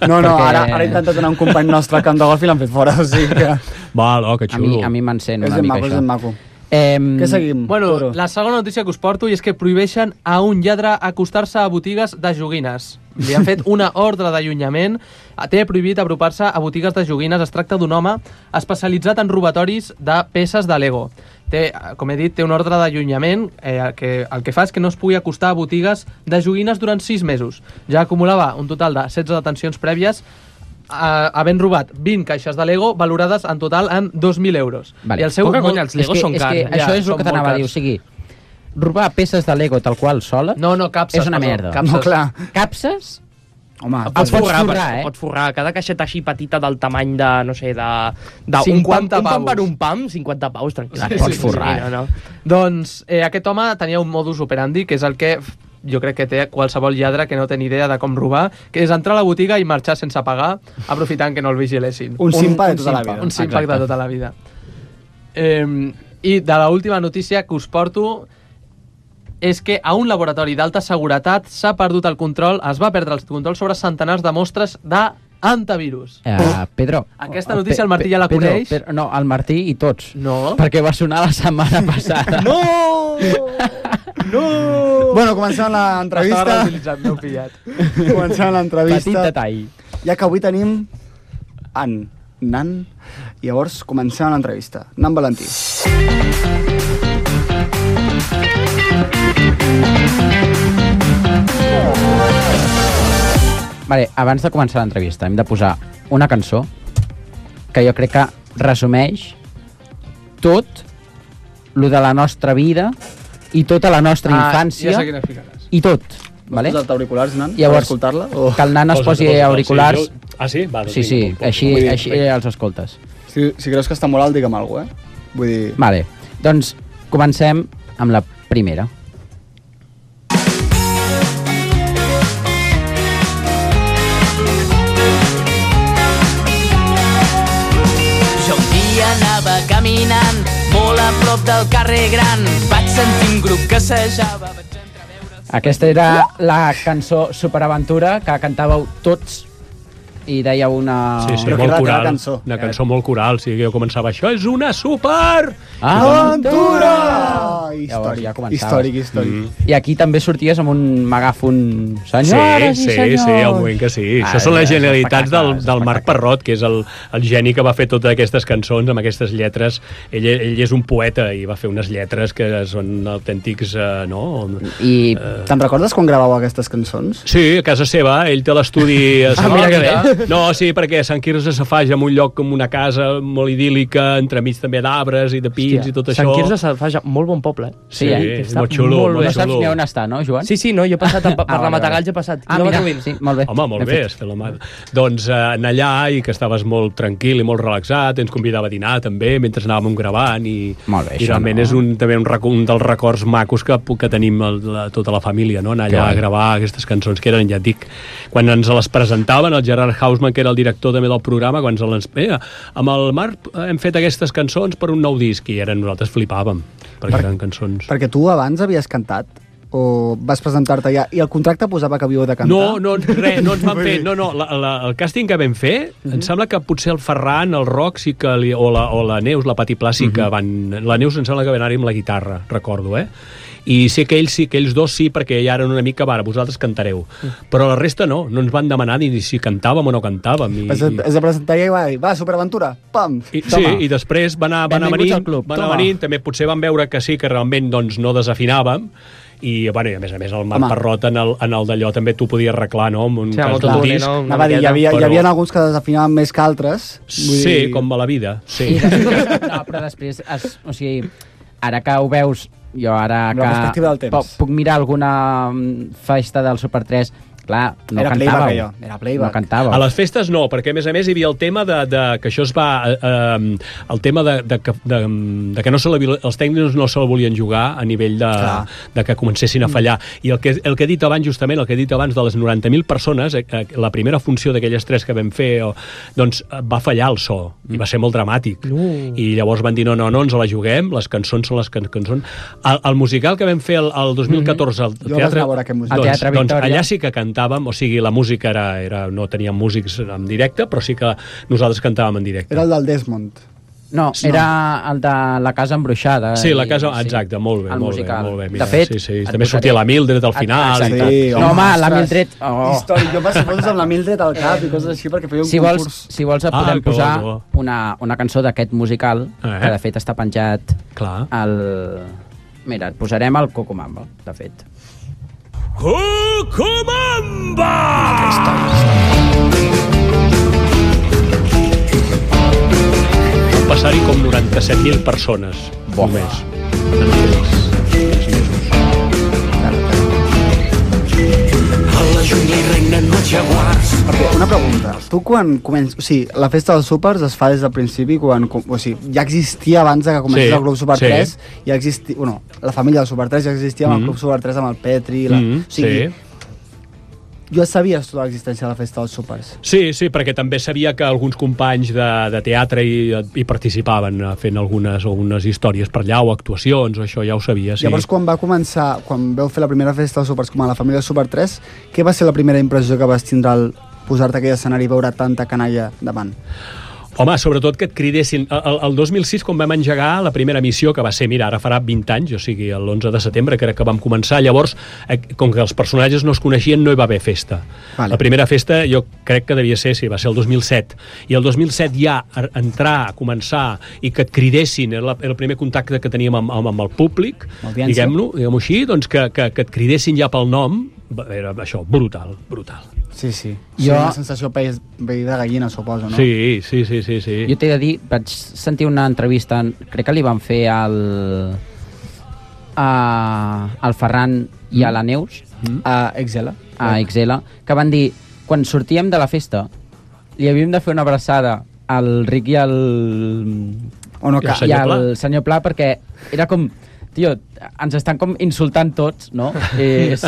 No, no, Perquè- ara, ara he intentat donar un company nostre al Camp de Golf i l'han fet fora, o sigui que... Val, oh, que A mi, xulo. a mi m'encén És una ben mica maco, és això. ben maco. Eh, Què seguim? Bueno, Toro? la segona notícia que us porto i és que prohibeixen a un lladre acostar-se a botigues de joguines. Li han fet una ordre d'allunyament. Té prohibit apropar-se a botigues de joguines. Es tracta d'un home especialitzat en robatoris de peces de Lego. Té, com he dit, té una ordre d'allunyament eh, que el que fa és que no es pugui acostar a botigues de joguines durant sis mesos. Ja acumulava un total de setze detencions prèvies Uh, havent robat vint caixes de Lego valorades en total en dos mil euros. Vale. I el seu... Poca molt- conya, els és Legos que, són és cars. que eh? això Ja, és el són que molt t'anava a dir, cars. o sigui, robar peces de Lego tal qual sola No, no, capses. és una perdó, merda. Capses. No, clar. capses Home, El El pots pots forrar, forrar, eh? eh? Pots forrar. Cada caixeta així petita del tamany de, no sé, de... de cinquanta un pam, un pam pavos. per un pam, cinquanta paus, tranquil. La pots forrar, no, no. Doncs eh, aquest home tenia un modus operandi, que és el que f- jo crec que té qualsevol lladre que no té ni idea de com robar, que és entrar a la botiga i marxar sense pagar, aprofitant que no el vigilessin. un simpa de tota la simpa. vida. Un simpac Exacte. de tota la vida. Eh, I de l'última notícia que us porto és que a un laboratori d'alta seguretat s'ha perdut el control, es va perdre el control sobre centenars de mostres d'antivirus. Uh, Pedro. Aquesta notícia el Martí ja la Pedro, coneix. Pedro, no, el Martí i tots. No. Perquè va sonar la setmana passada. No! No! Bueno, comencem L'estava l'entrevista. reutilitzant, m'heu pillat. Comencem Petit l'entrevista. detall. Ja que avui tenim en Nan, i llavors comencem l'entrevista. Nan Valentí. Vale, abans de començar l'entrevista hem de posar una cançó que jo crec que resumeix tot lo de la nostra vida i tota la nostra infància Ah, ja sé quina ficaràs. i tot. Vale? Vols posar-te auriculars, Nan, Llavors, per escoltar-la? O... Que el nan es Posa't, posi posa't, auriculars. sí, jo- Ah, sí? Va, doncs Sí, sí, vinga, doncs, així, Vull dir, així els escoltes. Si, si creus que està molt alt, digue'm alguna cosa, eh? Vull dir... Vale, doncs comencem amb la primera. Jo un dia anava caminant molt a prop del carrer Gran. Vaig sentir un grup que assajava. Vaig entreveure... Aquesta era la cançó Superaventura que cantàveu tots i deia una... Sí, sí, Però que molt era la teva coral. cançó. Una cançó molt coral, sí, que jo començava, això és una super... Aventura! Llavors Històric, ja començaves. històric, històric. Mm. I aquí també sorties amb un megàfon. Sí, Senyores sí, i senyors. sí, al moment que sí. Ah, Això són les és genialitats del, espectacle, és del Marc espectacle. Parrot, que és el, el geni que va fer totes aquestes cançons amb aquestes lletres. Ell, ell és un poeta i va fer unes lletres que són autèntics, eh, no? I Te'n recordes quan gravàveu aquestes cançons? Sí, a casa seva, ell té l'estudi... a Ah, mira que bé. No, sí, perquè Sant Quirze Safaja en un lloc com una casa molt idíl·lica, entremig també d'arbres i de pins. Hòstia, i tot això. Sant Quirze Safaja, molt bon poble. Eh? Sí, sí eh? és molt xulo. Molt no saps ni on està, no, Joan? Sí, sí, no, jo he passat per, per ah, la Matagalls, he passat. Ah, mira, sí, molt bé. Home, molt bé, has fet la mà. Doncs eh, en allà, i que estaves molt tranquil i molt relaxat, ens convidava a dinar també, mentre anàvem gravant, i, molt bé, i realment no? és un, també un, un dels records macos que, que tenim el, la, tota la família, no? Anar allà a gravar aquestes cançons que eren, ja et dic, quan ens les presentaven, el Gerard Hausman, que era el director també del programa, quan ens les... Eh, amb el Marc hem fet aquestes cançons per un nou disc, i eren, nosaltres flipàvem, perquè per, eren cançons... Perquè tu abans havies cantat? O vas presentar-te ja i el contracte posava que havíeu de cantar? No, no, res, no ens van fer... No, no, la, la, el càsting que vam fer, uh -huh. em sembla que potser el Ferran, el Roc, sí que li, o, la, o la Neus, la Pati Pla, sí que uh -huh. van... La Neus em sembla que va anar-hi amb la guitarra, recordo, eh? I sé que ells sí, que ells dos sí, perquè ja eren una mica, va, vosaltres cantareu. Però la resta no, no ens van demanar ni si cantàvem o no cantàvem. I, es, es de presentar i va dir, va, Superaventura, pam! I, sí, i després van anar, van anar venint, van anar venint, també potser van veure que sí, que realment doncs, no desafinàvem, i, bueno, i a més a més el Marc Parrot en el, en el d'allò també t'ho podia arreglar, no? En un sí, cas d'un disc. No, no, dir, hi, havia, però... hi havia alguns que desafinaven més que altres. Vull sí, dir... com a la vida, sí. I després, no, però després, es, o sigui, ara que ho veus, jo ara que puc, puc mirar alguna festa del Super tres, clar, no era cantàveu. Playback, era playback. No cantàveu. A les festes no, perquè a més a més hi havia el tema de, de que això es va... Eh, el tema de, de, de, de que no se la, els tècnics no se'l volien jugar a nivell de, de que comencessin a fallar. I el que, el que he dit abans, justament, el que he dit abans de les noranta mil persones, eh, la primera funció d'aquelles tres que vam fer, o, doncs va fallar el so, i va ser molt dramàtic. Uh. I llavors van dir, no, no, no ens la juguem, les cançons són les can cançons. El, el musical que vam fer el, el dos mil catorze al mm-hmm. teatre, doncs, teatre doncs allà sí que cantàvem, o sigui, la música era, era no teníem músics en directe, però sí que nosaltres cantàvem en directe. Era el del Desmond. No, era el de la casa embruixada. Sí, la casa, exacte, molt bé, el molt musical. bé, molt bé. Mira, de fet, sí, sí, també sortia la Mildred al final. Exacte. I tal. Sí, no, home, la Mildred... Oh. Històric, jo vaig fotos amb la Mildred al cap i coses així perquè feia un si concurs. Vols, si vols, et podem ah, posar bo, bo. Una, una cançó d'aquest musical, eh? que de fet està penjat Clar. al... Mira, et posarem el Cocomamba, de fet. Cocomamba! Van passar-hi com noranta-set mil persones. Bo. Només. En aquells, aquells mesos. A la jungla hi regnen els jaguars. Perquè, una pregunta. Tu quan comences... O sigui, la festa dels súpers es fa des del principi, quan... O sigui, ja existia abans de que comencés sí, el Club Super sí. tres, ja existia... Bueno, la família del Super tres ja existia amb mm. el Club Super tres, amb el Petri... La, mm, o sigui, sí. Jo sabies tota l'existència de la festa dels súpers. Sí, sí, perquè també sabia que alguns companys de, de teatre hi, hi participaven fent algunes, algunes històries per allà o actuacions, o això ja ho sabia, sí. Llavors, quan va començar, quan vau fer la primera festa dels súpers com a la família Super tres, què va ser la primera impressió que vas tindre al posar-te aquell escenari i veure tanta canalla davant? Home, sobretot que et cridessin. El, el dos mil sis, quan vam engegar la primera missió, que va ser, mira, ara farà vint anys, o sigui, l'onze de setembre, crec que vam començar, llavors, eh, com que els personatges no es coneixien, no hi va haver festa. Vale. La primera festa, jo crec que devia ser, sí, va ser el dos mil set. I el dos mil set ja, entrar, començar, i que et cridessin, era, la, era el primer contacte que teníem amb, amb, amb el públic, diguem-lo, diguem-ho així, doncs que, que, que et cridessin ja pel nom, era això, brutal, brutal. Sí, sí. Jo... Sí, una sensació pell de gallina, suposo, no? Sí, sí, sí, sí, sí. Jo t'he de dir, vaig sentir una entrevista, crec que li van fer al, a, al Ferran i a la Neus, mm. a Exela, a Exela, que van dir, quan sortíem de la festa, li havíem de fer una abraçada al Ric i al... O no, i, i al senyor Pla, perquè era com... Tio, ens estan com insultant tots, no? És...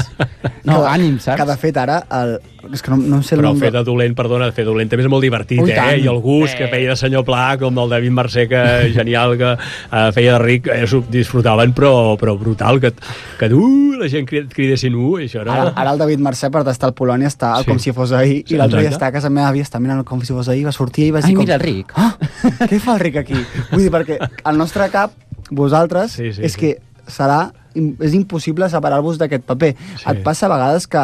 No, cada, ànim, saps? Que de fet ara... El... És que no, no sé Però el fer de dolent, perdona, fer de dolent també és molt divertit, Ui, eh? tant. I el gust eh. que feia de senyor Pla, com el David Mercè, que genial, que uh, feia de ric, eh, disfrutaven, però, però brutal, que, que uh, la gent cridessin uh, això era... Ara, ara el David Mercè, per estar al Polònia, està sí. com si fos ahir, sí, i l'altre dia està a casa meva, havia estat mirant com si fos ahir, va sortir i va dir... Ai, com... mira el Ric. Ah, què fa el Ric aquí? Vull dir, perquè al nostre cap, vosaltres, sí, sí, és sí. que serà... és impossible separar-vos d'aquest paper. Sí. Et passa a vegades que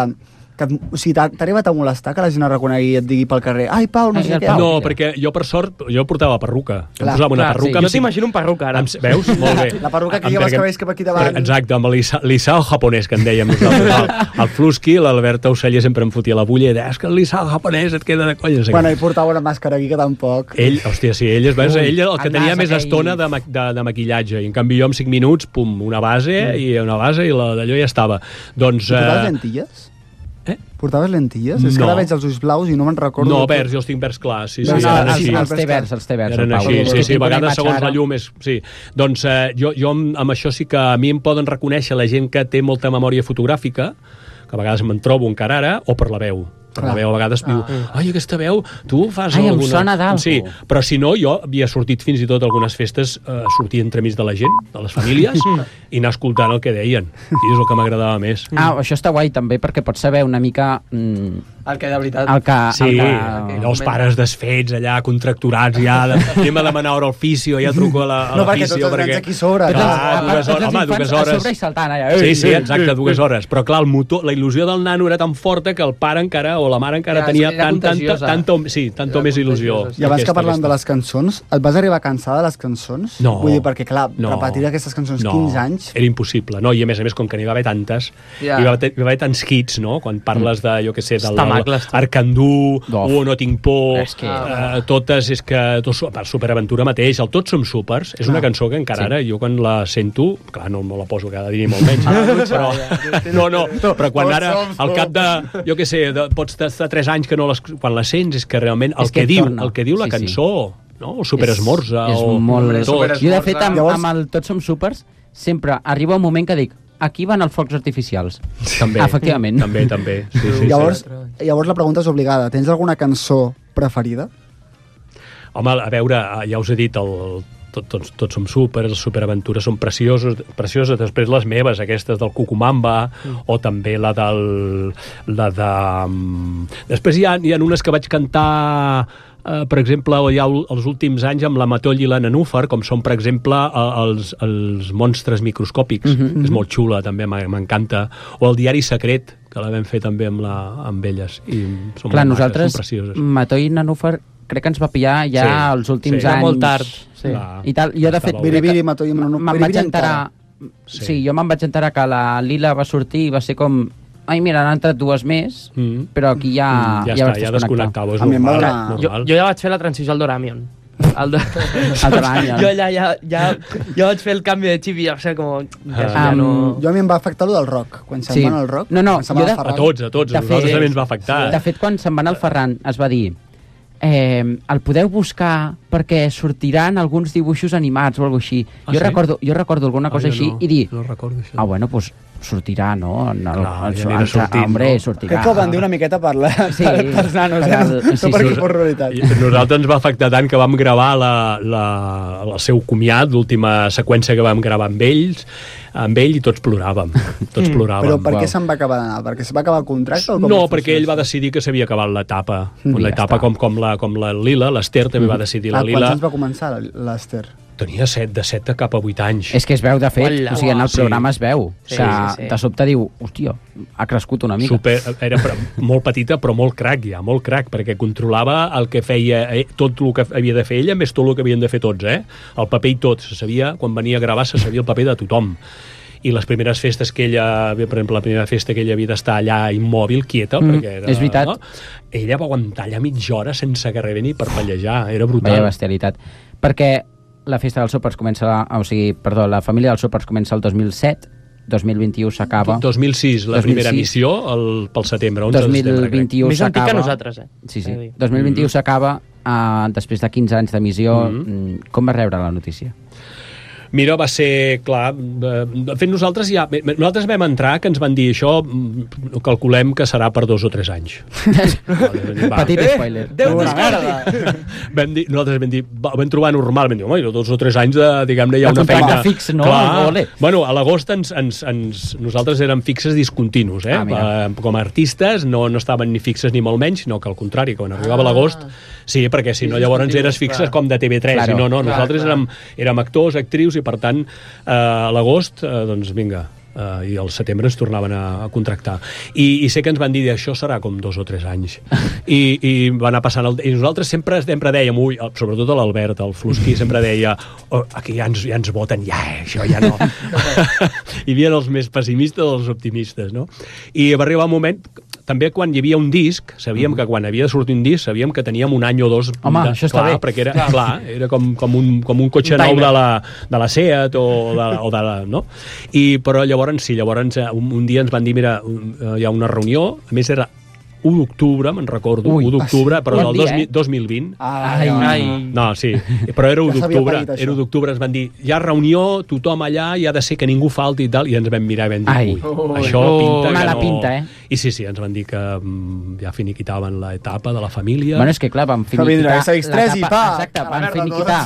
Que, o sigui, t'ha arribat a molestar que la gent et reconegui i et digui pel carrer ai, Pau, no sé què. No, perquè jo, per sort, jo portava perruca. Jo Clar, posava una clar, perruca... sí. Jo t'imagino un perruca, ara. Amb, veus? Molt bé. La perruca que Amb- lleva els perquè- cabells cap aquí davant. Exacte, amb l'Isao japonès, que en dèiem nosaltres. El, el Flusky, l'Albert Auceller sempre em fotia la bulla i deia, és que l'Isao japonès et queda de conya. No sé Bueno, què. i portava una màscara aquí que tampoc. Ell, hòstia, sí, ell, es, ell el que el tenia nas més aquell. estona de, ma- de, de maquillatge. I en canvi jo, en cinc minuts, pum, una base, i una base i la d'allò ja estava. Doncs... I portaves eh, lentilles? Eh? Portaves lentilles? És que No. ara veig els ulls blaus i no me'n recordo. No, de- verds, jo els tinc verds clars. Sí, No, sí, no, eren els, així. els té verds, els té verds. Eren el Pau. així, És sí, que sí, tinc a una vegades imatge segons ara. la llum és... Sí. Doncs eh, jo, jo amb, amb això sí que a mi em poden reconèixer la gent que té molta memòria fotogràfica, que a vegades me'n trobo encara ara, o per la veu. Per la Clar. veu a vegades diu, ai, aquesta veu, tu fas Ai, em alguna... sona d'algú. Sí, però si no, jo havia sortit fins i tot a algunes festes, eh, sortir entremig de la gent, de les famílies, i anar escoltant el que deien. I és el que m'agradava més. Ah, això està guai també perquè pots saber una mica mm, El que de veritat... el que... Sí, el que... allò, els pares desfets allà, contracturats ja, de, anem a demanar hora al fisio, ja truco a la, a No, la perquè fisio. tots els nens aquí sobre. Clar, clar. a part, dues tots hores, els home, infants dues a hores. sobre i saltant allà. Sí, sí, exacte, dues hores. Però clar, el motor, la il·lusió del nano era tan forta que el pare encara, o la mare encara Ja, tenia era tant, tanta, contagiosa. tanta, sí, tanta Era més il·lusió. contagiosa, I abans Aquesta, que parlant aquesta. de les cançons, et vas arribar a cansar de les cançons? No. Vull dir, perquè clar, No. repetir aquestes cançons No, quinze anys... era impossible, no? I a més a més, com que n'hi va haver tantes, Ja. hi, va haver, hi va haver tants hits, no? Quan parles de, jo què sé, del Estamacles, tu. Arcandú, Of. o No tinc por, És que- eh, totes, és que... Tot, per Superaventura mateix, el Tots som supers, és una cançó que encara Sí. ara, jo quan la sento, clar, no, no la poso cada dia ni molt menys, però, no, no, però quan Tots ara, som al cap de, jo què sé, de, pots estar tres anys que no les, quan la sents, és que realment el És que, que diu, torna. el que diu la Sí, sí. cançó, no? O Superesmorza, és, és o... molt... tot. Jo, de fet, amb, Llavors- amb el Tots som supers, sempre arriba un moment que dic aquí van els focs artificials. També, Efectivament. també, també. Sí, sí, llavors, sí. llavors la pregunta és obligada. Tens alguna cançó preferida? Home, a veure, ja us he dit, el, tot, tots, tots som súper, les superaventures són preciosos, precioses, després les meves, aquestes del Cucumamba, mm. o també la del... La de... um, Després hi ha, hi ha unes que vaig cantar... Uh, per exemple, hi ha els últims anys amb la Matoll i la Nanúfar, com són, per exemple, uh, els, els monstres microscòpics. Mm-hmm. És molt xula, també, m'encanta. O el Diari Secret, que la vam fer també amb, la, amb elles. I són Clar, molt nosaltres, maques, són precioses. Matoi i Nanúfar, crec que ens va pillar ja Sí, els últims sí. anys. Ja molt tard, sí. Clar, I tal. Jo, de estava fet, bé. Biri, crec que biri, Matoll i Nanúfar. me'n Biri, vaig biri enterar... Sí. Sí, jo me'n vaig enterar que la Lila va sortir i va ser com... Ai, mira, han entrat dues més, Mm. però aquí ja... Mm, ja, ja està, vaig ja desconnectar. desconnectava, és A mi em va normal. donar- Jo, normal. jo ja vaig fer la transició al Doramion. El de... El Doramion. Jo ja, ja, ja, ja vaig fer el canvi de xip i ja, o sigui, com... Ja, Ah. ja no... Jo a mi em va afectar lo del rock. Quan se'n Sí. van al rock, No, no, quan se'n jo van de- al Ferran. A tots, a tots. De A nosaltres fet- també ens va afectar. De fet, quan se'n van al Ferran es va dir eh, el podeu buscar perquè sortiran alguns dibuixos animats o alguna així. Ah, jo, sí? recordo, jo recordo alguna cosa Ah, jo així no, i dir, no recordo això. ah, bueno, doncs sortirà, no? En el, Clar, en, ja anirà sortint, hombre, no? sortirà. Crec que ho van dir una miqueta per, la, Sí. per, pels nanos, eh? Per No, el- no sí, perquè sí. fos realitat. I a nosaltres ens va afectar tant que vam gravar la, la, el seu comiat, l'última seqüència que vam gravar amb ells, amb ell, i tots ploràvem. Tots ploràvem. Però per què Uau. se'n va acabar d'anar? Perquè se va acabar el contracte? O com No, va perquè ell va funcionar? decidir que s'havia acabat l'etapa. Mm, ja L'etapa està. com, com, la, com la Lila, l'Ester també va decidir. La Ah, quants Lila anys va començar l'Ester? tenia set, de set a cap a vuit anys. És que es veu, de fet, Hola, o sigui, en el sí. programa es veu. Sí, que sí, sí. de sobte diu, hòstia, ha crescut una mica. Super, era pre- molt petita però molt crac ja, molt crac, perquè controlava el que feia, eh, tot el que havia de fer ella més tot el que havien de fer tots, eh? El paper i tot, se sabia, quan venia a gravar se sabia el paper de tothom. I les primeres festes que ella, per exemple, la primera festa que ella havia d'estar allà immòbil, quieta, Mm, perquè era, és veritat. No? Ella va aguantar allà mitja hora sense que rebés ni per pallejar, era brutal. Vaya bestialitat. Perquè la festa dels sopars comença, la, o sigui, perdó, la família dels sopars comença el dos mil set, dos mil vint-i-u s'acaba. dos mil sis, la dos mil primera sis. missió, el, pel setembre, onze dos de mil setembre, crec. vint-i-u Més antic s'acaba. que nosaltres, eh? Sí, sí. He de dir. dos mil vint-i-u s'acaba, uh, després de quinze anys d'emissió. Mhm. Mm. Com va rebre la notícia? Mira, va ser, clar, eh, de fet nosaltres ja, nosaltres vam entrar que ens van dir això, mm, calculem que serà per dos o tres anys. Va. Petit spoiler. Déu Una t'escolti! Vam dir, nosaltres vam dir, va, vam trobar normal, vam dir, home, dos o tres anys de, diguem-ne, hi ha De una contracte feina... fix, no? Clar. Ole. Bueno, a l'agost ens, ens, ens, nosaltres érem fixes discontinus, eh? Ah, mira. Eh, com a artistes no, no estaven ni fixes ni molt menys, sinó que al contrari, quan arribava l'agost, sí, perquè si no llavors eres fixes com de T V tres, Claro. i no, no, Clar, nosaltres clar. érem, érem actors, actrius, i per tant, eh, a l'agost, eh, doncs vinga, Uh, i al setembre ens tornaven a, a contractar I, i sé que ens van dir això serà com dos o tres anys i, i va anar passant el, i nosaltres sempre, sempre dèiem ui, sobretot l'Albert, el Flusqui sempre deia oh, aquí ja ens, ja ens voten ja, eh, això ja no hi havia els més pessimistes dels optimistes, no? I va arribar un moment també quan hi havia un disc, sabíem que quan havia de sortir un disc, sabíem que teníem un any o dos home, de, això està clar, bé perquè era, clar, era com, com, un, com un cotxe un nou de la, de la Seat o de, o de la, no? I, però llavors sí, llavors un, un dia ens van dir mira, hi ha una reunió, a més era u d'octubre, me'n recordo, Ui, u d'octubre, però del dia, eh? dos mil vint. Ai, ai. No, sí, però era u d'octubre, era u d'octubre, ens van dir, hi ha reunió, tothom allà, i ha de ser que ningú falti i tal, i ens vam mirar i vam dir, ui, oh, això oh, pinta que no... pinta, eh? I sí, sí, ens van dir que um, ja finiquitaven l'etapa de la família. Bueno, és que clar, van finiquitar... l'etapa, exacte, van finiquitar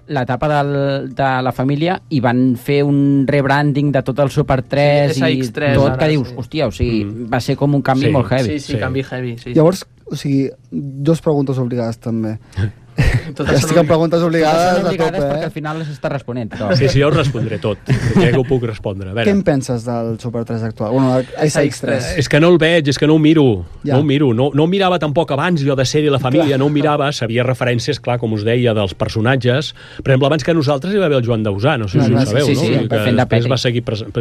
l'etapa del, de la família i van fer un rebranding de tot el Super tres sí, i tot ara, que dius, sí. hòstia, o sigui, mm. va ser com un canvi sí, molt heavy. Sí, sí, sí, canvi heavy. Sí, Llavors, o sigui, dos preguntes obligades també. Totes estic amb preguntes obligades, Totes obligades a tope, perquè eh? al final les està responent. Però... Sí, sí, jo ho respondré tot. Crec que ho puc respondre. Què en penses del Super tres actual? Bueno, S X tres. És que no el veig, és que no ho miro. Ja. No ho miro. No, no ho mirava tampoc abans, jo de sèrie La Família, clar. No ho mirava. Sabia referències, clar, com us deia, dels personatges. Per exemple, abans que nosaltres hi va haver el Joan Dausà, no sé no, si no, ho sabeu, sí, sí, no? Sí, que després va seguir present.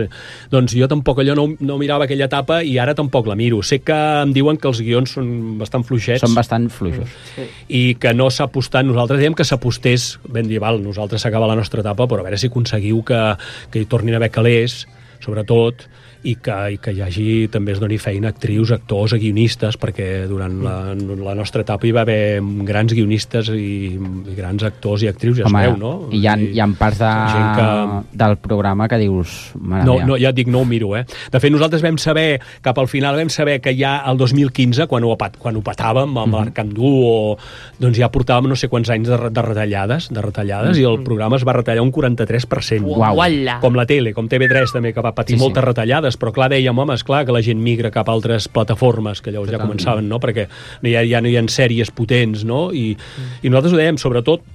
Doncs jo tampoc allò no, no mirava aquella etapa i ara tampoc la miro. Sé que em diuen que els guions són bastant fluixets. Són bastant fluixos. Sí. I que no s'ha apostat, nosaltres diem que s'apostés, ben dir, val, nosaltres s'acaba la nostra etapa, però a veure si aconseguiu que, que hi tornin a haver calés, sobretot, i que, i que hi hagi, també es doni feina a actrius, actors, a guionistes, perquè durant la, la nostra etapa hi va haver grans guionistes i, i grans actors i actrius, ja Home, sabeu, no? I hi ha, hi ha parts de, que... del programa que dius... No, no, ja et dic, no ho miro, eh? De fet, nosaltres vam saber, cap al final vam saber que ja el dos mil quinze, quan ho, quan ho patàvem amb mm-hmm. l'Arcandú, o, doncs ja portàvem no sé quants anys de, de retallades, de retallades mm-hmm. i el programa es va retallar un quaranta-tres per cent. Uau. Com la tele, com T V tres també, que va patir sí, moltes sí. retallades, però clar, dèiem, home, esclar que la gent migra cap a altres plataformes, que llavors Totalment. ja començaven, no? Perquè no hi ha, ja no hi ha sèries potents, no? I, mm. i nosaltres ho dèiem, sobretot,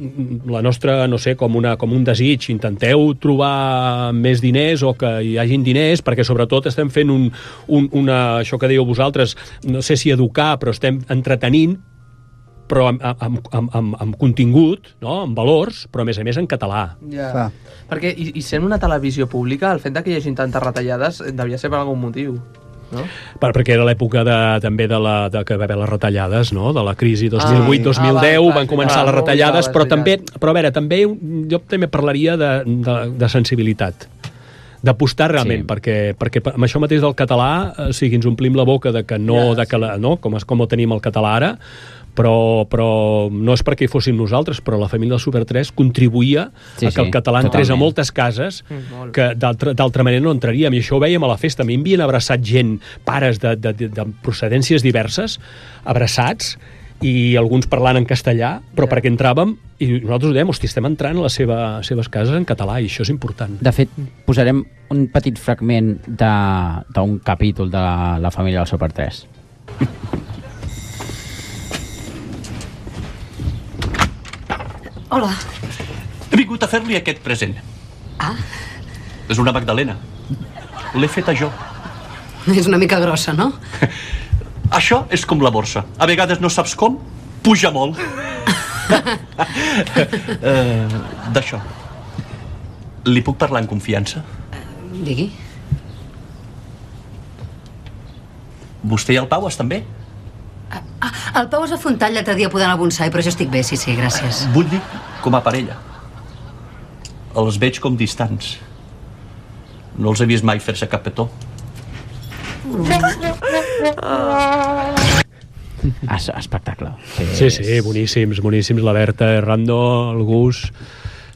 la nostra, no sé, com, una, com un desig, intenteu trobar més diners o que hi hagin diners, perquè sobretot estem fent un, un, una, això que dèieu vosaltres, no sé si educar, però estem entretenint, però amb, amb, amb, amb, amb contingut, no? Amb valors, però a més a més en català. Ja. Perquè, i, i sent una televisió pública, el fet de que hi hagi tantes retallades devia ser per algun motiu, no? Per, perquè era l'època de, també de, la, de que va haver les retallades, no? De la crisi dos mil vuit dos mil deu, ah, van començar ah, les retallades, però també, però a veure, també jo també parlaria de, de, de sensibilitat, d'apostar realment, sí. perquè, perquè amb això mateix del català, o sigui, ens omplim la boca de que no, ja, de que la, no? Com, com ho tenim el català ara, però, però no és perquè hi fóssim nosaltres, però la família del Super tres contribuïa sí, a que sí, el català entrés a moltes cases mm, que d'altra manera no entraríem, i això ho vèiem a la festa. A mi m'havien abraçat gent, pares de, de, de, de procedències diverses, abraçats, i alguns parlant en castellà, però yeah. perquè entràvem i nosaltres ho dèiem, hosti, estem entrant a les seva, seves cases en català, i això és important. De fet, posarem un petit fragment d'un capítol de la família del Super tres. Hola. He vingut a fer-li aquest present. Ah. És una magdalena. L'he feta jo. És una mica grossa, no? Això és com la borsa. A vegades no saps com, puja molt. uh, D'això. Li puc parlar en confiança? Uh, digui. Vostè i el Pau estan bé? Ah, el Pau es va fer un tall l'altre dia podant al bonsai, però jo estic bé, sí, sí, gràcies. Vull dir, com a parella. Els veig com distants. No els he vist mai fer-se cap petó. Es, espectacle. Sí, sí, boníssims, boníssims. La Berta, Errando, el Gus,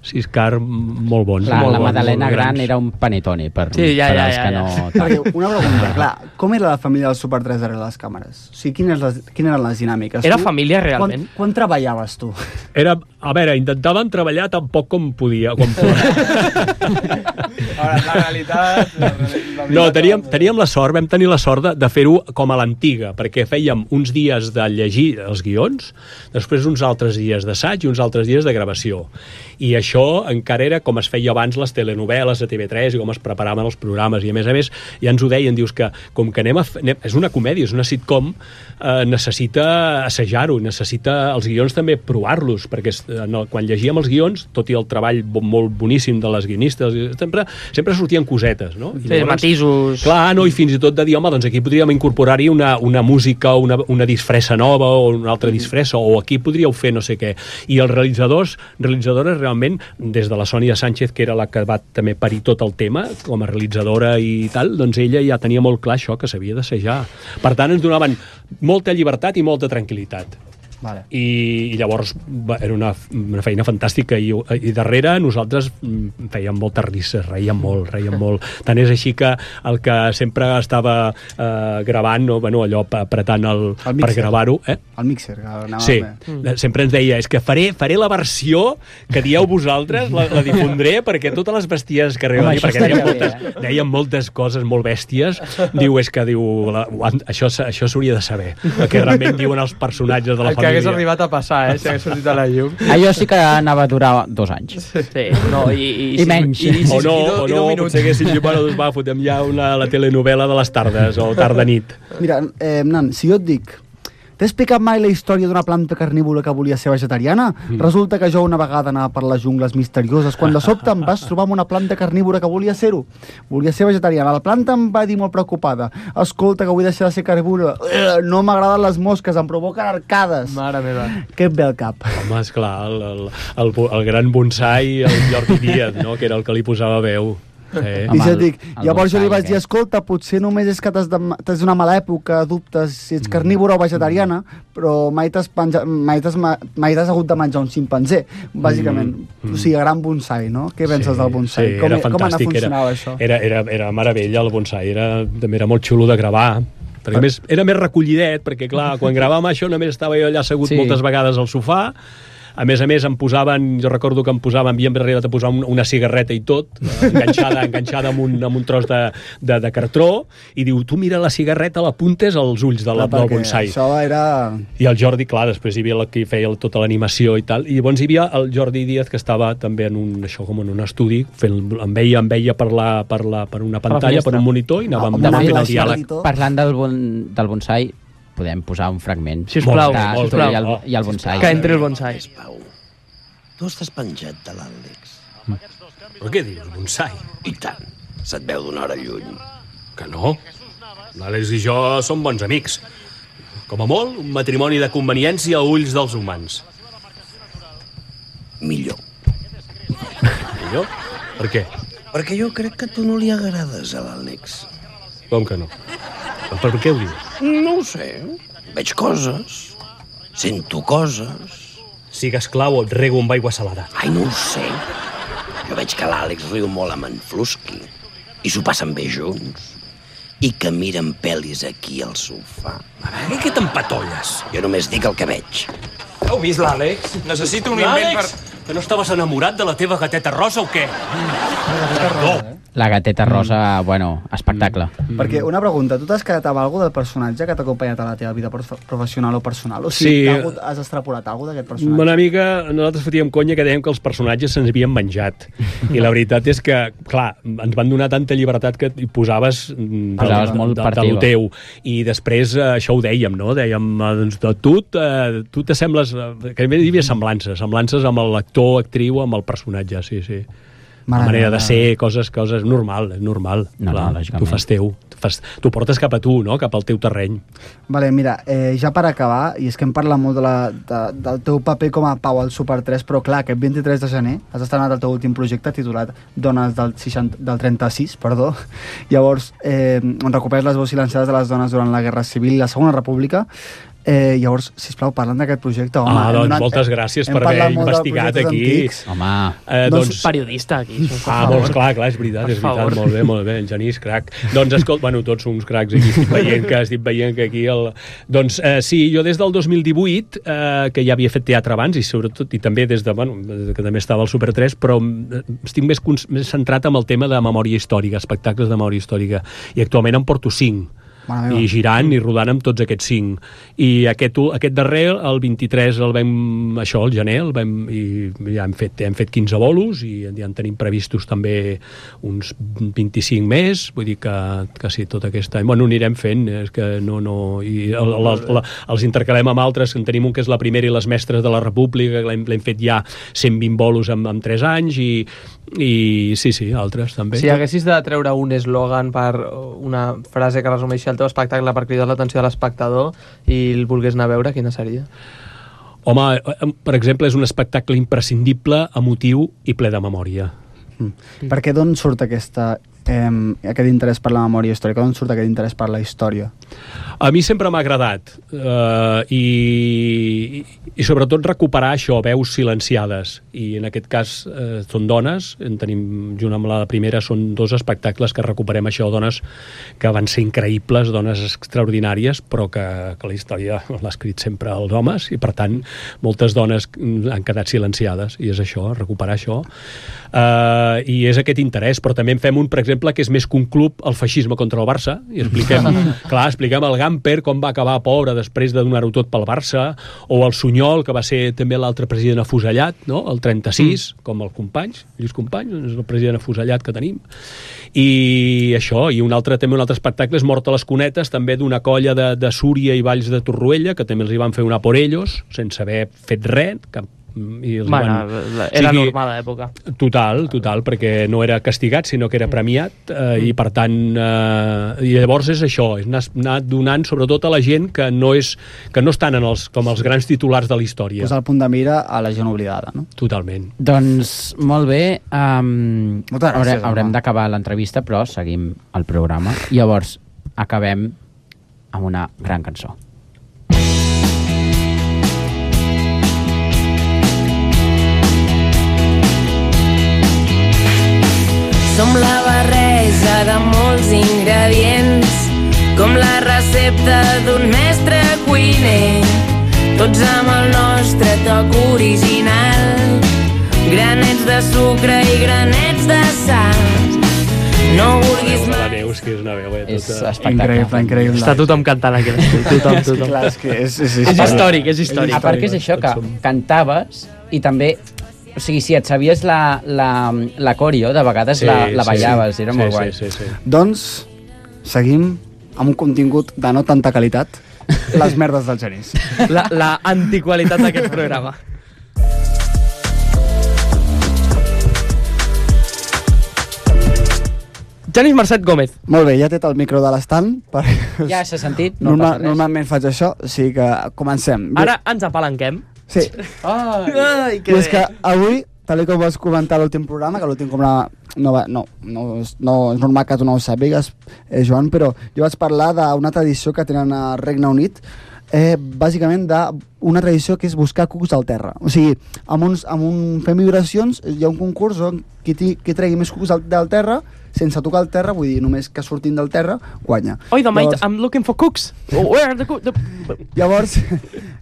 Siscar, molt bons. Clar, molt la bons, Madalena gran era un panetone per, sí, ja, per ja, als ja, que ja. no... Perquè una pregunta, clar, com era la família del Super tres darrere les càmeres? O sigui, quines, les, quines eren les dinàmiques? Era tu, família, realment? Quan, quan treballaves, tu? Era, a veure, intentaven treballar tan poc com podia. Com podia. Ara, la realitat... La, la no, teníem, teníem la sort, vam tenir la sort de, de fer-ho com a l'antiga, perquè fèiem uns dies de llegir els guions, després uns altres dies d'assaig i uns altres dies de gravació. I això encara era com es feia abans les telenovel·les a T V tres i com es preparaven els programes. I a més a més ja ens ho deien, dius que com que anem a... Anem, és una comèdia, és una sitcom, eh, necessita assajar-ho, necessita els guions també provar-los, perquè no, quan llegíem els guions, tot i el treball molt boníssim de les guionistes, sempre, sempre sortien cosetes, no? I sí, llavors, matisos. Clar, no? I fins i tot de dir, home, doncs aquí podríem incorporar-hi una, una música, una, una disfressa nova o una altra disfressa, o aquí podríeu fer no sé què. I els realitzadors, realitzadores realment, des de la Sònia Sánchez, que era la que va també parir tot el tema, com a realitzadora i tal, doncs ella ja tenia molt clar això, que s'havia d'assajar. Per tant, ens donaven molta llibertat i molta tranquil·litat. Vale. I, i llavors va, era una, una feina fantàstica i, i darrere nosaltres fèiem moltes risses, reíem molt, reíem molt. Tant és així que el que sempre estava eh, gravant, no, bueno, allò apretant el, el per gravar-ho, eh? El mixer, que anava sí, mm. sempre ens deia, és que faré, faré la versió que dieu vosaltres, la, la difondré perquè totes les besties que arriben, perquè deien moltes, eh? deien moltes coses molt bèsties, diu, és que diu, la, això, això s'hauria de saber, perquè realment diuen els personatges de la família. Que hagués arribat a passar, eh, si hagués sortit a la llum. Allò sí que anava a durar dos anys. Sí, no, i, i, I menys. I, i, o no, i do, o no potser haguessin dit, bueno, doncs va, fotem ja una, la telenovel·la de les tardes, o tarda-nit. Mira, eh, Nan, si jo et dic, t'he explicat mai la història d'una planta carnívora que volia ser vegetariana? Mm. Resulta que jo una vegada anava per les jungles misterioses, quan de sobte em vas trobar amb una planta carnívora que volia ser-ho. Volia ser vegetariana. La planta em va dir molt preocupada, escolta, que vull deixar de ser carnívora. No m'agraden les mosques, em provoquen arcades. Mare meva. Què et ve al cap? Home, esclar, el, el, el, el gran bonsai, el Jordi Díaz, no?, que era el que li posava veu. Sí. I jo dic, llavors jo li vaig dir, escolta, potser només és que t'has de, t'has una mala època, dubtes si ets carnívora o vegetariana, però mai t'has, penja, mai t'has, mai t'has hagut de menjar un ximpanzé, bàsicament. Mm. O sigui, gran bonsai, no? Què penses sí, del bonsai? Sí, com, era fantàstic. Com anava funcionava era, això? Era, era, era meravella, el bonsai. Era, també era molt xulo de gravar. Perquè més, era més recollidet, perquè clar, quan gravàvem això només estava jo allà assegut sí. moltes vegades al sofà. A més a més, em posaven, jo recordo que em posaven, havíem arribat a posar un, una cigarreta i tot, enganxada, enganxada amb, un, amb un tros de, de, de cartró, i diu, tu mira la cigarreta, l'apuntes als ulls de la, del bonsai. Això era... I el Jordi, clar, després hi havia el que feia tota l'animació i tal, i llavors hi havia el Jordi Díaz, que estava també en un, això com en un estudi, fent, em veia, em veia per, la, per, la, per una pantalla, per un monitor, i anàvem, ah, anàvem fent el diàleg. Parlant del, bon, del bonsai, podem posar un fragment. Sisplau, molt, sisplau. I el, i el bonsai. Que entri el bonsai. Tu estàs penjat de l'Àlex. Mm. Però què dius, bonsai? I tant. Se't veu d'una hora lluny. Que no. L'Àlex i jo som bons amics. Com a molt, un matrimoni de conveniència a ulls dels humans. Millor. Millor? Per què? Perquè jo crec que tu no li agrades a l'Àlex. Com que no? Per què ho dius? No ho sé. Veig coses. Sento coses. Sigues clau o et rego amb aigua salada. Ai, no ho sé. Jo veig que l'Àlex riu molt amb en Flusky i s'ho passen bé junts i que miren pel·lis aquí al sofà. A veure, què t'empatolles? Jo només dic el que veig. Heu vist l'Àlex? Necessito un invent per... Que no estaves enamorat de la teva gateta rosa o què? No. La gateta rosa, mm. bueno, espectacle. Mm. Perquè una pregunta, tu t'has quedat amb alguna del personatge que t'ha acompanyat a la teva vida professional o personal? O sigui, sí. Hagut, has extrapolat alguna d'aquest personatge? Una mica, nosaltres fotíem conya que dèiem que els personatges se'ns havien menjat. I la veritat és que, clar, ens van donar tanta llibertat que hi posaves, posaves de, molt de, de, de lo teu. I després eh, això ho dèiem, no? Dèiem, doncs, de tu, eh, tu t'assembles... Que hi havia semblances, semblances amb l'actor, actriu, amb el personatge, sí, sí. La manera de ser, coses, coses, normal, és normal. No, clar, no, tu fas teu, tu fas, tu portes cap a tu, no? Cap al teu terreny. Vale, mira, eh, ja per acabar, i és que em parla molt de la, de, del teu paper com a Pau al Super tres, però clar, aquest vint-i-tres de gener has estrenat el teu últim projecte titulat Dones del, seixanta, del trenta-sis, perdó. Llavors, eh, on recuperes les veus silenciades de les dones durant la Guerra Civil i la Segona República. Eh, llavors, sisplau, parlant d'aquest projecte, home... Ah, doncs donat, moltes gràcies per haver investigat aquí. Antics. Home, eh, doncs, doncs... periodista aquí. Ah, doncs clar, clar, és veritat, és veritat, molt bé, molt bé, en Genís, crac. Doncs, escolta, bueno, tots som uns cracs aquí, estic veient que, estic veient que aquí el... Doncs, eh, sí, jo des del dos mil divuit, eh, que ja havia fet teatre abans, i sobretot, i també des de, bueno, que també estava al Super tres, però estic més, més centrat en el tema de memòria històrica, espectacles de memòria històrica, i actualment en porto cinc. I girant i rodant amb tots aquests cinc. I aquest, aquest darrer, el vint-i-tres, el vam, això, el gener, el vam, i ja hem fet, hem fet quinze bolos i ja en tenim previstos també uns vint-i-cinc més, vull dir que, que sí, tot aquest any. Bueno, anirem fent, és que no, no... I el, la, la, els intercalem amb altres, en tenim un que és la primera i les mestres de la República, que l'hem fet ja cent vint bolos en, en tres anys, i, i sí, sí, altres també. Si haguessis de treure un eslògan per una frase que resumeixi el teu espectacle per cridar l'atenció de l'espectador i el volgués anar a veure, quina seria? Home, per exemple, és un espectacle imprescindible, emotiu i ple de memòria. Mm. Per què d'on surt aquesta, eh, aquest interès per la memòria històrica? D'on surt aquest interès per la història? A mi sempre m'ha agradat eh, i, i sobretot recuperar això, veus silenciades, i en aquest cas eh, són dones, en tenim, junt amb la primera, són dos espectacles que recuperem això, dones que van ser increïbles, dones extraordinàries, però que, que la història l'ha escrit sempre els homes, i per tant moltes dones han quedat silenciades, i és això, recuperar això. Uh, i és aquest interès, però també en fem un, per exemple, que és més que un club, el feixisme contra el Barça, i expliquem, clar, expliquem el Gamper com va acabar pobre després de donar-ho tot pel Barça, o el Sunyol, que va ser també l'altre president afusellat, no? El trenta-sis, mm. com el Companys, Lluís Companys, és el president afusellat que tenim. I això, i un altre, també un altre espectacle és Mort a les Cunetes, també d'una colla de, de Súria i Valls de Torroella, que també els hi van fer una por ellos, sense haver fet res, cap i els bueno, van... era sigui, normal a l'època. Total, total, perquè no era castigat, sinó que era premiat, eh, i per tant, eh, i llavors és això, és anar, anar donant sobretot a la gent que no, és, que no estan en els, com els grans titulars de la història. Posar el punt de mira a la gent oblidada, no? Totalment. Doncs, molt bé, um, gràcies, haurem, haurem d'acabar l'entrevista, però seguim el programa. Llavors, acabem amb una gran cançó. Som la barreja de molts ingredients, com la recepta d'un mestre cuiner, tots amb el nostre toc original, granets de sucre i granets de sal. No vulguis mai... La Neus, que és una veu, eh? És tota... espectacle. Increïble, increïble. Està tothom cantant aquí. Tothom, tothom. Clar, és, que és, és, és històric, és històric. A part que és això, que cantaves i també... O sigui, si et sabies la, la, la corio, de vegades sí, la, la ballaves, sí, era molt sí, guai. Sí, sí, sí. Doncs seguim amb un contingut de no tanta qualitat, les merdes del Genís. La, la antiqualitat d'aquest programa. Genís Marcet Gómez. Molt bé, ja té el micro de l'estand. Per... Ja s'ha sentit, no Normal, passa res. Normalment faig això, o sigui que comencem. Ara ens apalanquem. Sí. Ai, Ai que I és que avui, tal com vas comentar l'últim programa, que l'últim programa no, va, no, no, no, és normal que tu no ho sàpigues, eh, Joan, però jo vaig parlar d'una tradició que tenen al Regne Unit, eh, bàsicament d'una tradició que és buscar cucs al terra. O sigui, amb, uns, amb un, fem vibracions, hi ha un concurs on qui, ti, qui tregui més cucs al, del terra, sense tocar el terra, vull dir, només que surtin del terra, guanya. Oi, the mate, llavors, I'm looking for cooks. Where are the cooks? The... Llavors,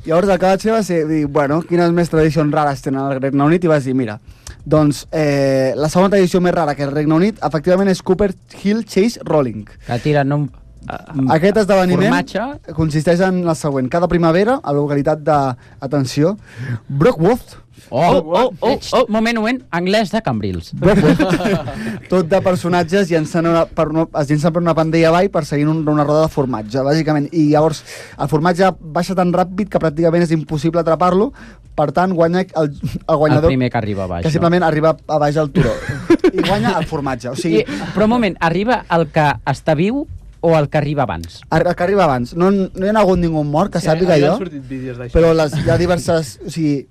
llavors el que vaig fer va ser dir, bueno, quines més tradicions rares tenen al Regne Unit, i vas dir, mira, doncs eh, la segona tradició més rara que el Regne Unit, efectivament, és Cooper Hill Chase Rolling. Que tiren un... Aquest esdeveniment formatge consisteix en el següent. Cada primavera, a la localitat de, atenció, Brockworth. Oh, oh, oh, oh, moment, moment, anglès de Cambrils. Tot de personatges llencen una, per una, es llencen per una pandella avall perseguint un, una roda de formatge, bàsicament. I llavors el formatge baixa tan ràpid que pràcticament és impossible atrapar-lo, per tant guanya el, el guanyador... El primer que arriba a baix. Que simplement no? arriba a baix al turó. I guanya el formatge. O sigui... I, però un moment, arriba el que està viu o el que arriba abans? El que arriba abans. No, no hi ha hagut ningú mort, que sí, sàpiga jo, vídeos però les, hi ha diverses... O sigui,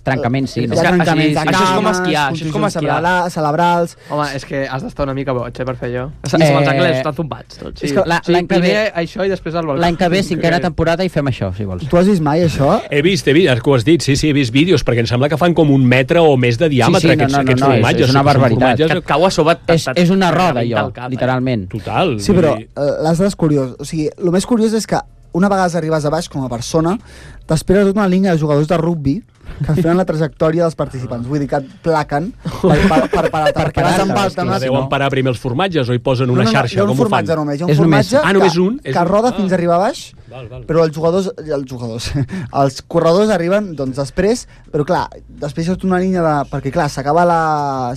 trencaments, sí. Hi No? ha trencaments de Això és com cames, esquiar, això és com contusions esquiar. cerebra- cerebrals... Home, és que has d'estar una mica boig, eh, per fer allò. I eh... els anglesos estan zumbats, tots. Sí, És que la- sí, l'any que primer ve- això i després al balcó. L'any que ve, cinquena temporada, i fem això, si vols. Tu has vist mai això? He vist, he vist, que ho has dit, sí, sí, he vist vídeos, perquè em sembla que fan com un metre o més de diàmetre Sí, sí, no, aquests, no, no, aquests no, és- formatges. és una que són barbaritat. formatges- Que et cau a sobre... És, és una roda, rebenta allò, el cap, eh? literalment. Total. Sí, però vull dir- eh, les dades curiós. O sigui, el més curiós és que una vegada arribes a baix com a persona, t'espera tota una línia de jugadors de rugbi que et feien la trajectòria dels participants. Vull dir que et plaquen per, per, per, per, per, perquè vas amb el Però deuen parar primer els formatges o hi posen una no, no, xarxa? hi ha un com ho fan? formatge només. Hi ha un És només- formatge Ah, només que, un? És que un- roda ah. fins a arribar a baix, Val, val. però els jugadors, els jugadors, els corredors arriben doncs, després, però clar, després hi ha tota una línia de... Perquè clar, s'acaba la,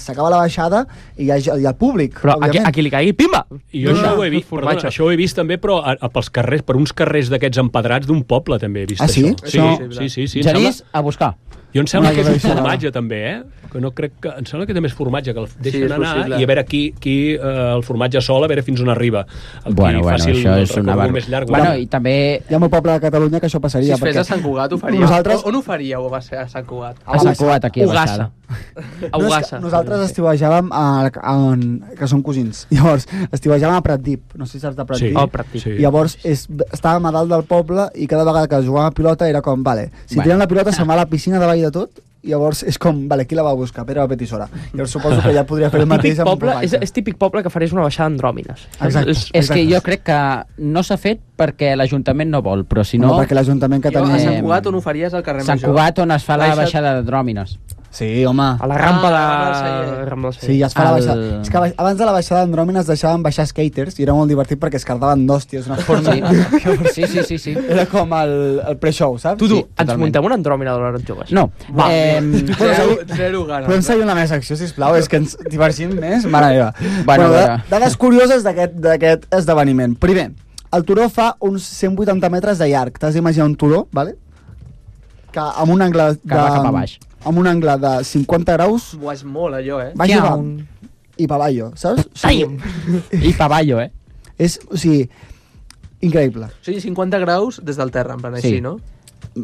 s'acaba la baixada i hi ha, hi ha el públic, Però aquí, òbviament. aquí li caigui, pimba! I jo això, ho he vist, perdona, això ho he vist també, però a, a, pels carrers, per uns carrers d'aquests empedrats d'un poble també he vist Ah, sí? això. Sí, Això- sí, sí, sí. em Genís, sembla- a buscar. Jo em sembla Una que és un cosa formatge també, eh? Que no crec que... Em sembla que també és formatge, que el deixen és anar possible. i a veure qui, qui eh, el formatge sol, a veure fins on arriba. El Bueno, qui bueno, faci el això és una recorregut barba. més llarg. Bueno, i també... Hi ha molt poble de Catalunya que això Si passaria. es fes perquè a Sant Cugat, ho faríeu. Nosaltres- On, on ho faríeu, va ser a Sant Cugat? A Sant Cugat, aquí a Ugassa. Baixada. A No, és Ugassa. que nosaltres estiuejàvem a, a, a, que són cosins. Llavors, estiuejàvem a Pratdip. No sé si saps de Pratdip. Sí. Oh, Pratdip. Sí. I llavors és, estàvem a dalt del poble i cada vegada que jugàvem a pilota era com, vale, si Bueno. tirem la pilota se'n va a la piscina davall de tot, i llavors és com, vale, qui la va a buscar? Pere Batet i Sora. Llavors suposo que ja podria fer el mateix Típic amb un poble, és, formatge. és típic poble que farés una baixada andròmines. Exacte. És, És que jo crec que no s'ha fet perquè l'Ajuntament no vol, però si No, no... perquè l'Ajuntament que Jo, a tenia... Sant Cugat on ho faries al carrer Sant Major? Cugat, on es fa la Baixa't- baixada de Dròmines. Sí, home. a la rampa Ah, de... Rambla del Celler. Sí, ja es fa la El- baixada. És que aba- abans de la baixada d'Andròmines deixaven baixar skaters i era molt divertit perquè es cardaven d'hòsties. Una forma... Sí, sí, sí, sí. Era com el, el pre-show, saps? Tu, tu, Sí, ens totalment. muntem una andròmina de l'hora joves. No. Va. Eh, Zero, zero ganes. Podem seguir una meva secció, sisplau? És que ens divergim més? Mare meva. Bueno, da- bueno. Dades curioses d'aquest d'aquest esdeveniment. Primer, el turó fa uns cent vuitanta metres de llarg. T'has d'imaginar un turó, vale? Que amb un angle de... Que va cap a baix. Amb un angle de cinquanta graus, Buah, és molt allò, eh? baix i Xiao. dalt. I pa avallo, saps? O sigui, I Pavallo, eh? és, o sigui, increïble. O sigui, cinquanta graus des del terra, en plan Sí. així, no?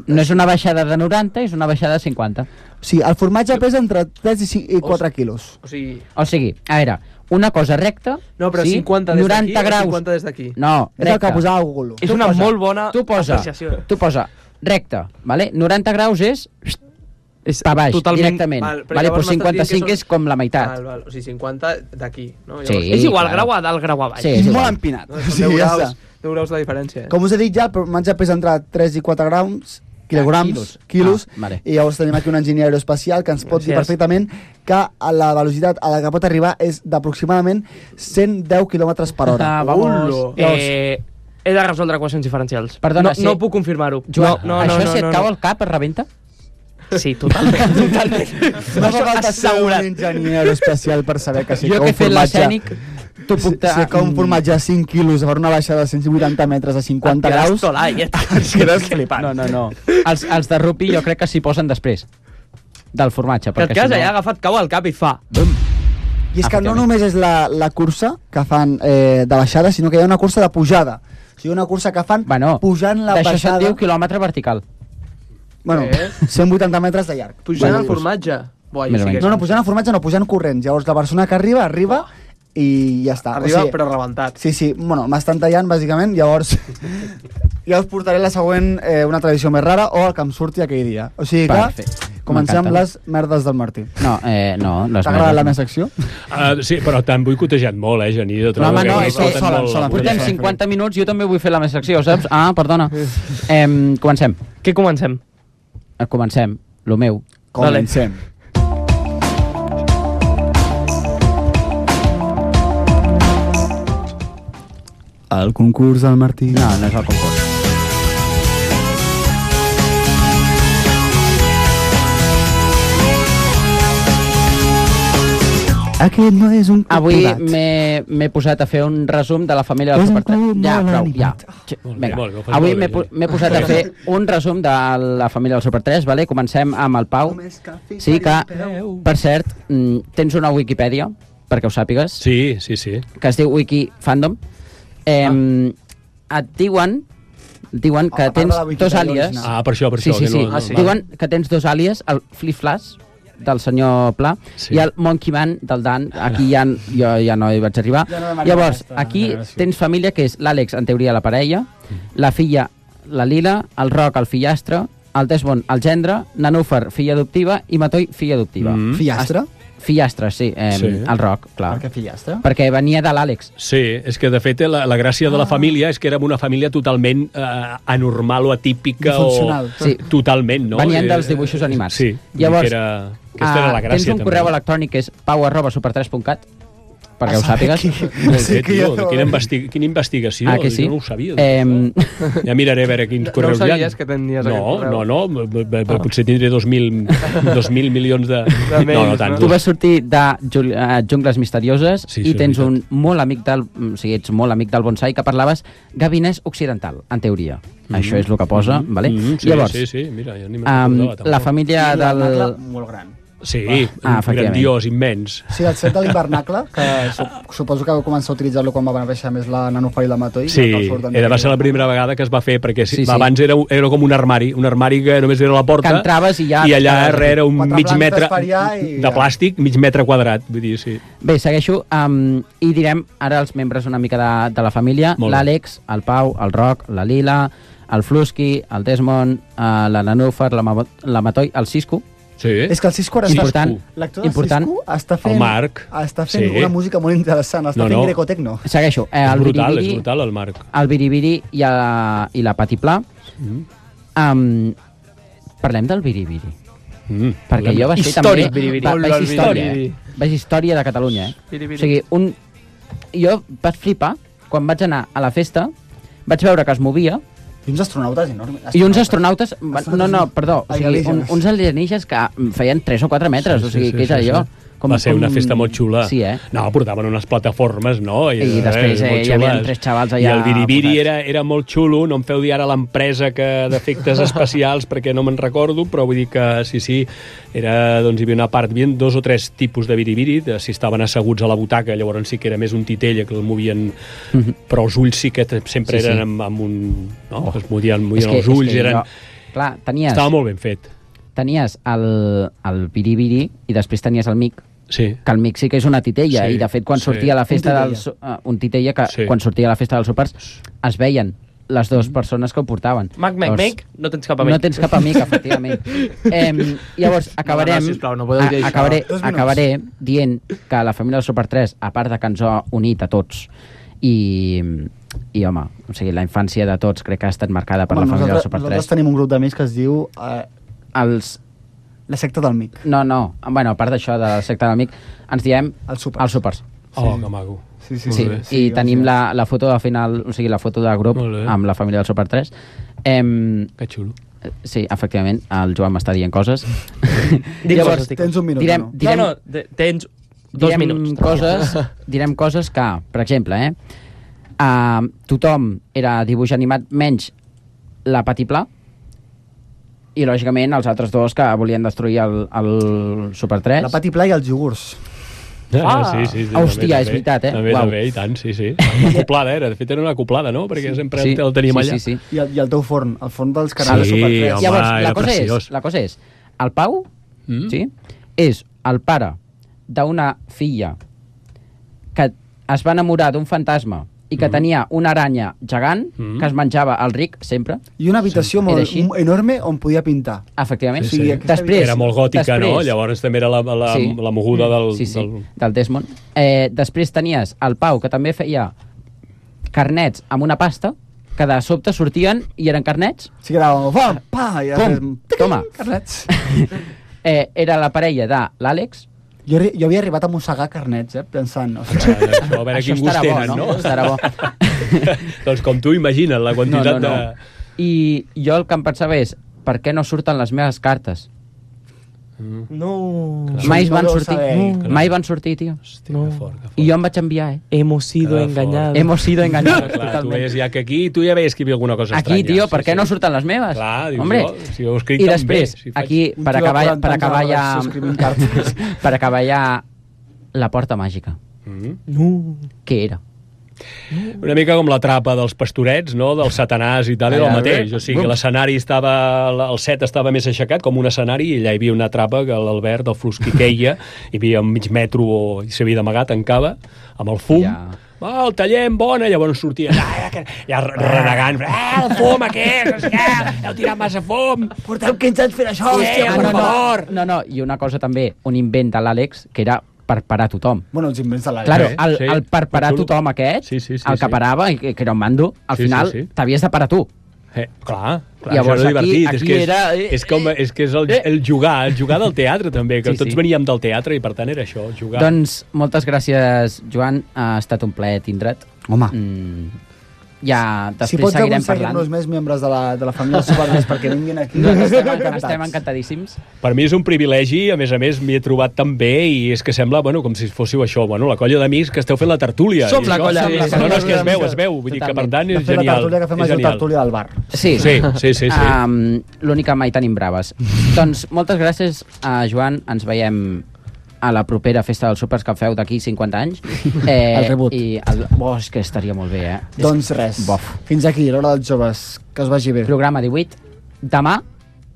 No és una baixada de noranta, és una baixada de cinquanta. O sigui, el formatge pesa entre tres i cinc i quatre quilos. O sigui... O sigui, a veure, una cosa recta... No, però sí, cinquanta des d'aquí noranta o graus. cinquanta des d'aquí? No, És el recta. que posava a Google. És Tu una posa- molt bona Tu posa, apreciació. tu posa recta, vale? noranta graus és És pa baix, totalment- directament. Val, però Vale, llavors pues m'estàs dient que cinquanta-cinc són- és com la meitat. Val, val. O sigui, cinquanta d'aquí, no? Sí. És igual, claro. grau a dalt, grau a baix. Sí, És és molt igual. empinat. No, O són sigui, deu ja graus, està. deu graus la diferència. Eh? Com us he dit ja, el formatge pesa entre tres i quatre grams, quilograms, quilos. quilos, Ah, vale. i llavors tenim aquí un enginyer aeroespacial que ens pot dir Gràcies. perfectament que a la velocitat a la que pot arribar és d'aproximadament cent deu quilòmetres per hora. Ah, vamos. Ulo. Eh, he de resoldre equacions diferencials. Perdona, no, sí. no puc confirmar-ho. Joan, no, no, això no, si et no, cau no. al cap es rebenta? Sí, totalment, totalment. No fa falta ser assegurat. un enginyer aeroespacial per saber que si Jo cau que he un fet formatge... l'escènic, tu Si, puc... si cau un formatge a cinc quilos per una baixada de cent vuitanta metres a cinquanta Et quedes graus... tolat, ja està. Et quedes flipant. No, no, no. Els, els de rupi jo crec que s'hi posen després del formatge. Que et perquè quedes si allà agafat cau al cap i fa. I és que no Efectivament. només és la, la cursa que fan eh, de baixada, sinó que hi ha una cursa de pujada. O sigui, una cursa que fan Bueno, pujant la d'això se'n baixada... diu quilòmetre vertical. Bueno, Eh? cent vuitanta metres de llarg. Pujant Bueno, el formatge. Buah, Més o sí que menys. No, no, pujant el formatge no, pujant corrents. Llavors la persona que arriba, arriba i ja està. Arriba, o sigui, però rebentat. Sí, sí, bueno, m'estan tallant, bàsicament, llavors ja us portaré la següent, eh, una tradició més rara, o el que em surti aquell dia. O sigui que Perfecte. comencem amb M'encanta. les merdes del Martí. No, eh, no. Les T'ha agradat la meva merdes no. secció? Uh, sí, però t'han boicotejat molt, eh, Genís? Jo No, trobo home, no, que és que porten sola, molt- sola, Portem Sí. cinquanta minuts, jo també vull fer la meva secció, saps? Ah, perdona. Eh, comencem. Què comencem? Eh, comencem. Lo meu. Comencem. El concurs del Martí. No, no és el concurs. Aquest no és un Avui capturat. m'he m'he posat a fer un resum de la família del És un Super tres. club Ja, molt prou, animat. ja. Molt bé, Vinga. molt bé, ho fas Avui molt bé, m'he po- Genís. m'he posat a fer un resum de la família del Super tres, vale? Comencem amb el Pau. Sí, que, per cert, mm, tens una Wikipedia, perquè ho sàpigues, Sí, sí, sí. que es diu Wiki Fandom. Eh, Et diuen diuen que tens dos àlies... Ah, per això, per sí, això. sí, que sí. no, Ah, sí. Diuen que tens dos àlies, el Flip-Flash, del senyor Pla, Sí. i el Monkey Man del Dan. Aquí ja, jo ja no hi vaig arribar. Ja no demanem Llavors, aquesta aquí generació. tens família, que és l'Àlex, en teoria, la parella, la filla, la Lila, el Roc, el fillastre, el Desmond, el gendre, Nanúfer, filla adoptiva, i Matoi, filla adoptiva. Mm. Fillastre? Fillastre, sí, eh, Sí. el Roc, clar. Per què fillastre? Perquè venia de l'Àlex. Sí, és que de fet la, la gràcia de la família és que érem una família totalment eh, anormal o atípica Disfuncional. o... Sí. Totalment, no? Venien Eh, dels dibuixos animats. Sí, Llavors, que era, aquesta era la ah, gràcia. tens un també. correu electrònic que és pau arroba super tres punt cat, perquè A ho saber sàpigues. qui- Molt bé, tio, quina, investi quina investigació. Ah, que sí? Jo no ho sabia. Eh, Ja miraré a veure quins No correus hi ha. sabies que tenies no, aquest correu? No, no, b- b- b- potser tindré dos mil, dos mil milions de... De no, no tant. Tu vas sortir de Jul- eh, Jungles Misterioses Sí, i sí, tens és un molt amic del... O sigui, ets molt amic del bonsai, que parlaves gabinès occidental, en teoria. Això és el que posa, vale? Mm, sí, Llavors, sí, sí, mira, ja ni me'n um, recordava, tampoc. la família I del... l'hivernacle molt gran. Sí, Ah, efectivament. grandiós, immens. Sí, el set de l'hivernacle, que su suposo que vau començar a utilitzar-lo quan va néixer més la Nanúfer i la Matoi. Sí, que surten era, va de- ser la primera vegada que es va fer, perquè Sí, sí, sí. abans era, era com un armari, un armari que només era la porta, Que entraves i ja- i allà darrere era un Quatre mig plantes metre per allà i de ja. plàstic, mig metre quadrat, vull dir, sí. Bé, segueixo, um, i direm ara els membres una mica de, de la família. Molt bé. L'Àlex, el Pau, el Roc, la Lila, el Flusky, el Desmond, uh, la Nanúfer, la, Ma la Matoi, el Cisco. Sí. És que el Cisco ara està... Important. L'actor del Important. Cisco està fent, El Marc. està fent Sí. una música molt interessant, està No, fent no. greco-tecno. Segueixo. Eh, És el brutal, Biribiri, és brutal, el Marc. el Biribiri i, a, i la Patiplà. Mm. Um, parlem del Biribiri. Mm. Perquè jo vaig fer Històric, també... Biribiri. Va, Molt vaig el història, Biribiri. eh? Vaig història de Catalunya, eh? Biribiri. O sigui, un... jo vaig flipar quan vaig anar a la festa, vaig veure que es movia, I uns astronautes enormes. i uns astronautes... No, no, perdó, o sigui, un, Alienígenes. uns alienígens que feien tres o quatre metres, o sigui, què és allò? Com, va ser com... una festa molt xula. Sí, eh? No, portaven unes plataformes, no? I després, eh, molt hi havia xules. tres xavals allà I el Biribiri posats. era, era molt xulo, no em feu dir ara l'empresa que d'efectes especials perquè no me'n recordo, però vull dir que sí, sí, era, doncs hi havia una part, hi havia dos o tres tipus de Biribiri, de, si estaven asseguts a la butaca, llavors sí que era més un titella que el movien, Mhm. però els ulls sí que sempre Sí, sí. eren amb, amb un... No? Oh. Es movien, movien És que- els és ulls, que eren... jo- clar, tenies... Estava molt ben fet. Tenies el, el Biribiri i després tenies el Mic, Sí. que el Mic sí que és una titella, Sí, i de fet quan sí. sortia a la festa Un del... titella. su- uh, un titella que Sí. quan sortia a la festa dels súpers es veien les dues persones que ho portaven. Mac, mac, Llavors, mac, no tens cap amic. No tens cap amic, efectivament. eh, llavors, acabarem, No, no, sisplau, no podeu dir a, això. acabaré, Dos minuts. acabaré dient que la família del Super tres, a part de que ens ha unit a tots, i, i home, o sigui, la infància de tots crec que ha estat marcada per Home, la família del nosaltres, Super nosaltres tres. tenim un grup d'amics que es diu eh, Els, La secta del Mic. no, no, bueno, a part d'això de la secta del Mic, ens diem Els súpers. els súpers. Oh, que maco. Sí, sí, Sí, sí. sí, i tenim la, la foto de final, o sigui, la foto de grup Molt bé. amb la família del Super tres. Em, Que xulo. sí, efectivament, el Joan m'està dient coses. Dic coses, dic Tens un minut, direm, no? direm, No, no, de- tens dos direm minuts. coses, direm coses que, per exemple, eh, uh, tothom era dibuix animat menys la Patiplà, i lògicament els altres dos que volien destruir el, el Super tres. La Pati Pla i els iogurts. Ah, sí, sí, sí, Hòstia, també, és veritat, eh? També, Uau. també, i tant, sí, sí. Una acoplada era, de fet era una acoplada, no? Perquè sempre Sí, el teníem sí, allà. sí, sí. I el, I el teu forn, el forn dels canals Sí, de Super tres. home, Llavors, la era cosa, preciós. és, la cosa és, el Pau, Mm? sí, és el pare d'una filla que es va enamorar d'un fantasma i que Mm. tenia una aranya gegant Mm. que es menjava el ric sempre. I una habitació Sí, molt era així. enorme on podia pintar. Efectivament. Sí, Sí, sí. aquesta Després, Era molt gòtica, després, no? Llavors també era la, la, Sí. la moguda del... Sí, sí, del... del Desmond. Eh, després tenies el Pau, que també feia carnets amb una pasta, que de sobte sortien i eren carnets. Sí que era pam, pa, i Pum, toma. carnets. Eh, era la parella de l'Àlex. Jo, arri- jo havia arribat a mossegar carnets, eh, pensant... O sigui, Això, a veure Això quin gust estarà bo, tenen, no? no? Estarà bo. Doncs com tu imagina't la quantitat No, no, no. de... I jo el que em pensava és, per què no surten les meves cartes? No. Mai no van deu sortir. saber. No. Mai van sortir, tio. Hòstia, que fort, que fort. I jo em vaig enviar, eh? Hemos sido Que engañados. Hemos sido engañados, Clar, tu totalment. veies ja que aquí tu ja veies que hi havia alguna cosa Aquí, estranya. tio, per sí, què no sí. surten les meves? Clar, dius, Hombre. jo, si ho escric I tan després, bé, si faig- aquí, Un per tio de acabar, quaranta per anys a la acabar ja... redacció escrivint cartes. per acabar ja la porta màgica. Mm. No. Què era? Una mica com la trapa dels pastorets, no? Del Satanàs i tal, era el mateix. O sigui, que l'escenari estava... El set estava més aixecat, com un escenari, i allà hi havia una trapa que l'Albert, el Flusqui, queia, hi havia un mig metro i s'havia d'amagar, tancava, amb el fum. Ja. Ah, el tallem, bona, llavors sortia ja, ja renegant, ah, el fum aquest, no sé què, heu tirat massa fum. Porteu quinze anys fent això, sí, hòstia, per favor. No, no, i una cosa també, un invent de l'Àlex, que era per parar tothom. Bueno, els invents de l'Àlex. Claro, el, el per parar tothom aquest, sí, sí, sí, el que parava, que era un mando, al sí, final sí, sí. t'havies de parar tu. Eh, clar, clar, llavors, això era aquí, divertit. aquí és que és, era... és, com, és que és el, el jugar, el jugar del teatre també, que sí, tots sí. veníem del teatre i per tant era això, jugar. Doncs moltes gràcies, Joan, ha estat un plaer tindre't. Home. Mm, ja després si pots seguirem parlant. aconseguir-nos més membres de la, de la família Supermés perquè vinguin aquí, estem encantats. Estem encantadíssims. Per mi és un privilegi, a més a més m'hi he trobat tan bé i és que sembla, bueno, com si fóssiu això, bueno, la colla d'amics que esteu fent la tertúlia. Som la colla d'amics. No, no, és que es veu, es veu, vull dir que per tant és de fer genial. la tertúlia que fem és la tertúlia del bar. Sí, sí, sí, sí, sí. Um, l'únic que mai tenim braves. Doncs moltes gràcies a Joan, ens veiem a la propera festa dels súpers que feu d'aquí cinquanta anys. Eh, el rebut. I el... Oh, és que estaria molt bé, eh? Doncs res, Bof. Fins aquí, l'hora dels joves. Que us vagi bé. Programa divuit. Demà,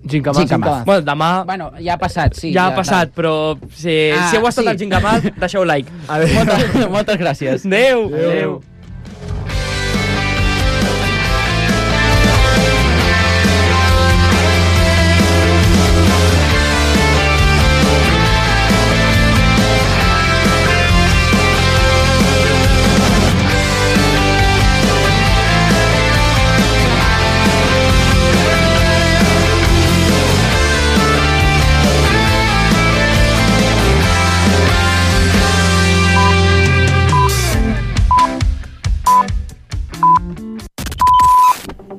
Gincamà. Gincamà. Bueno, demà... Bueno, ja ha passat, sí. Ja ha passat, però si, Ah, si heu estat sí. al Gincamà, deixeu like. Moltes, moltes gràcies. Adéu. Adéu.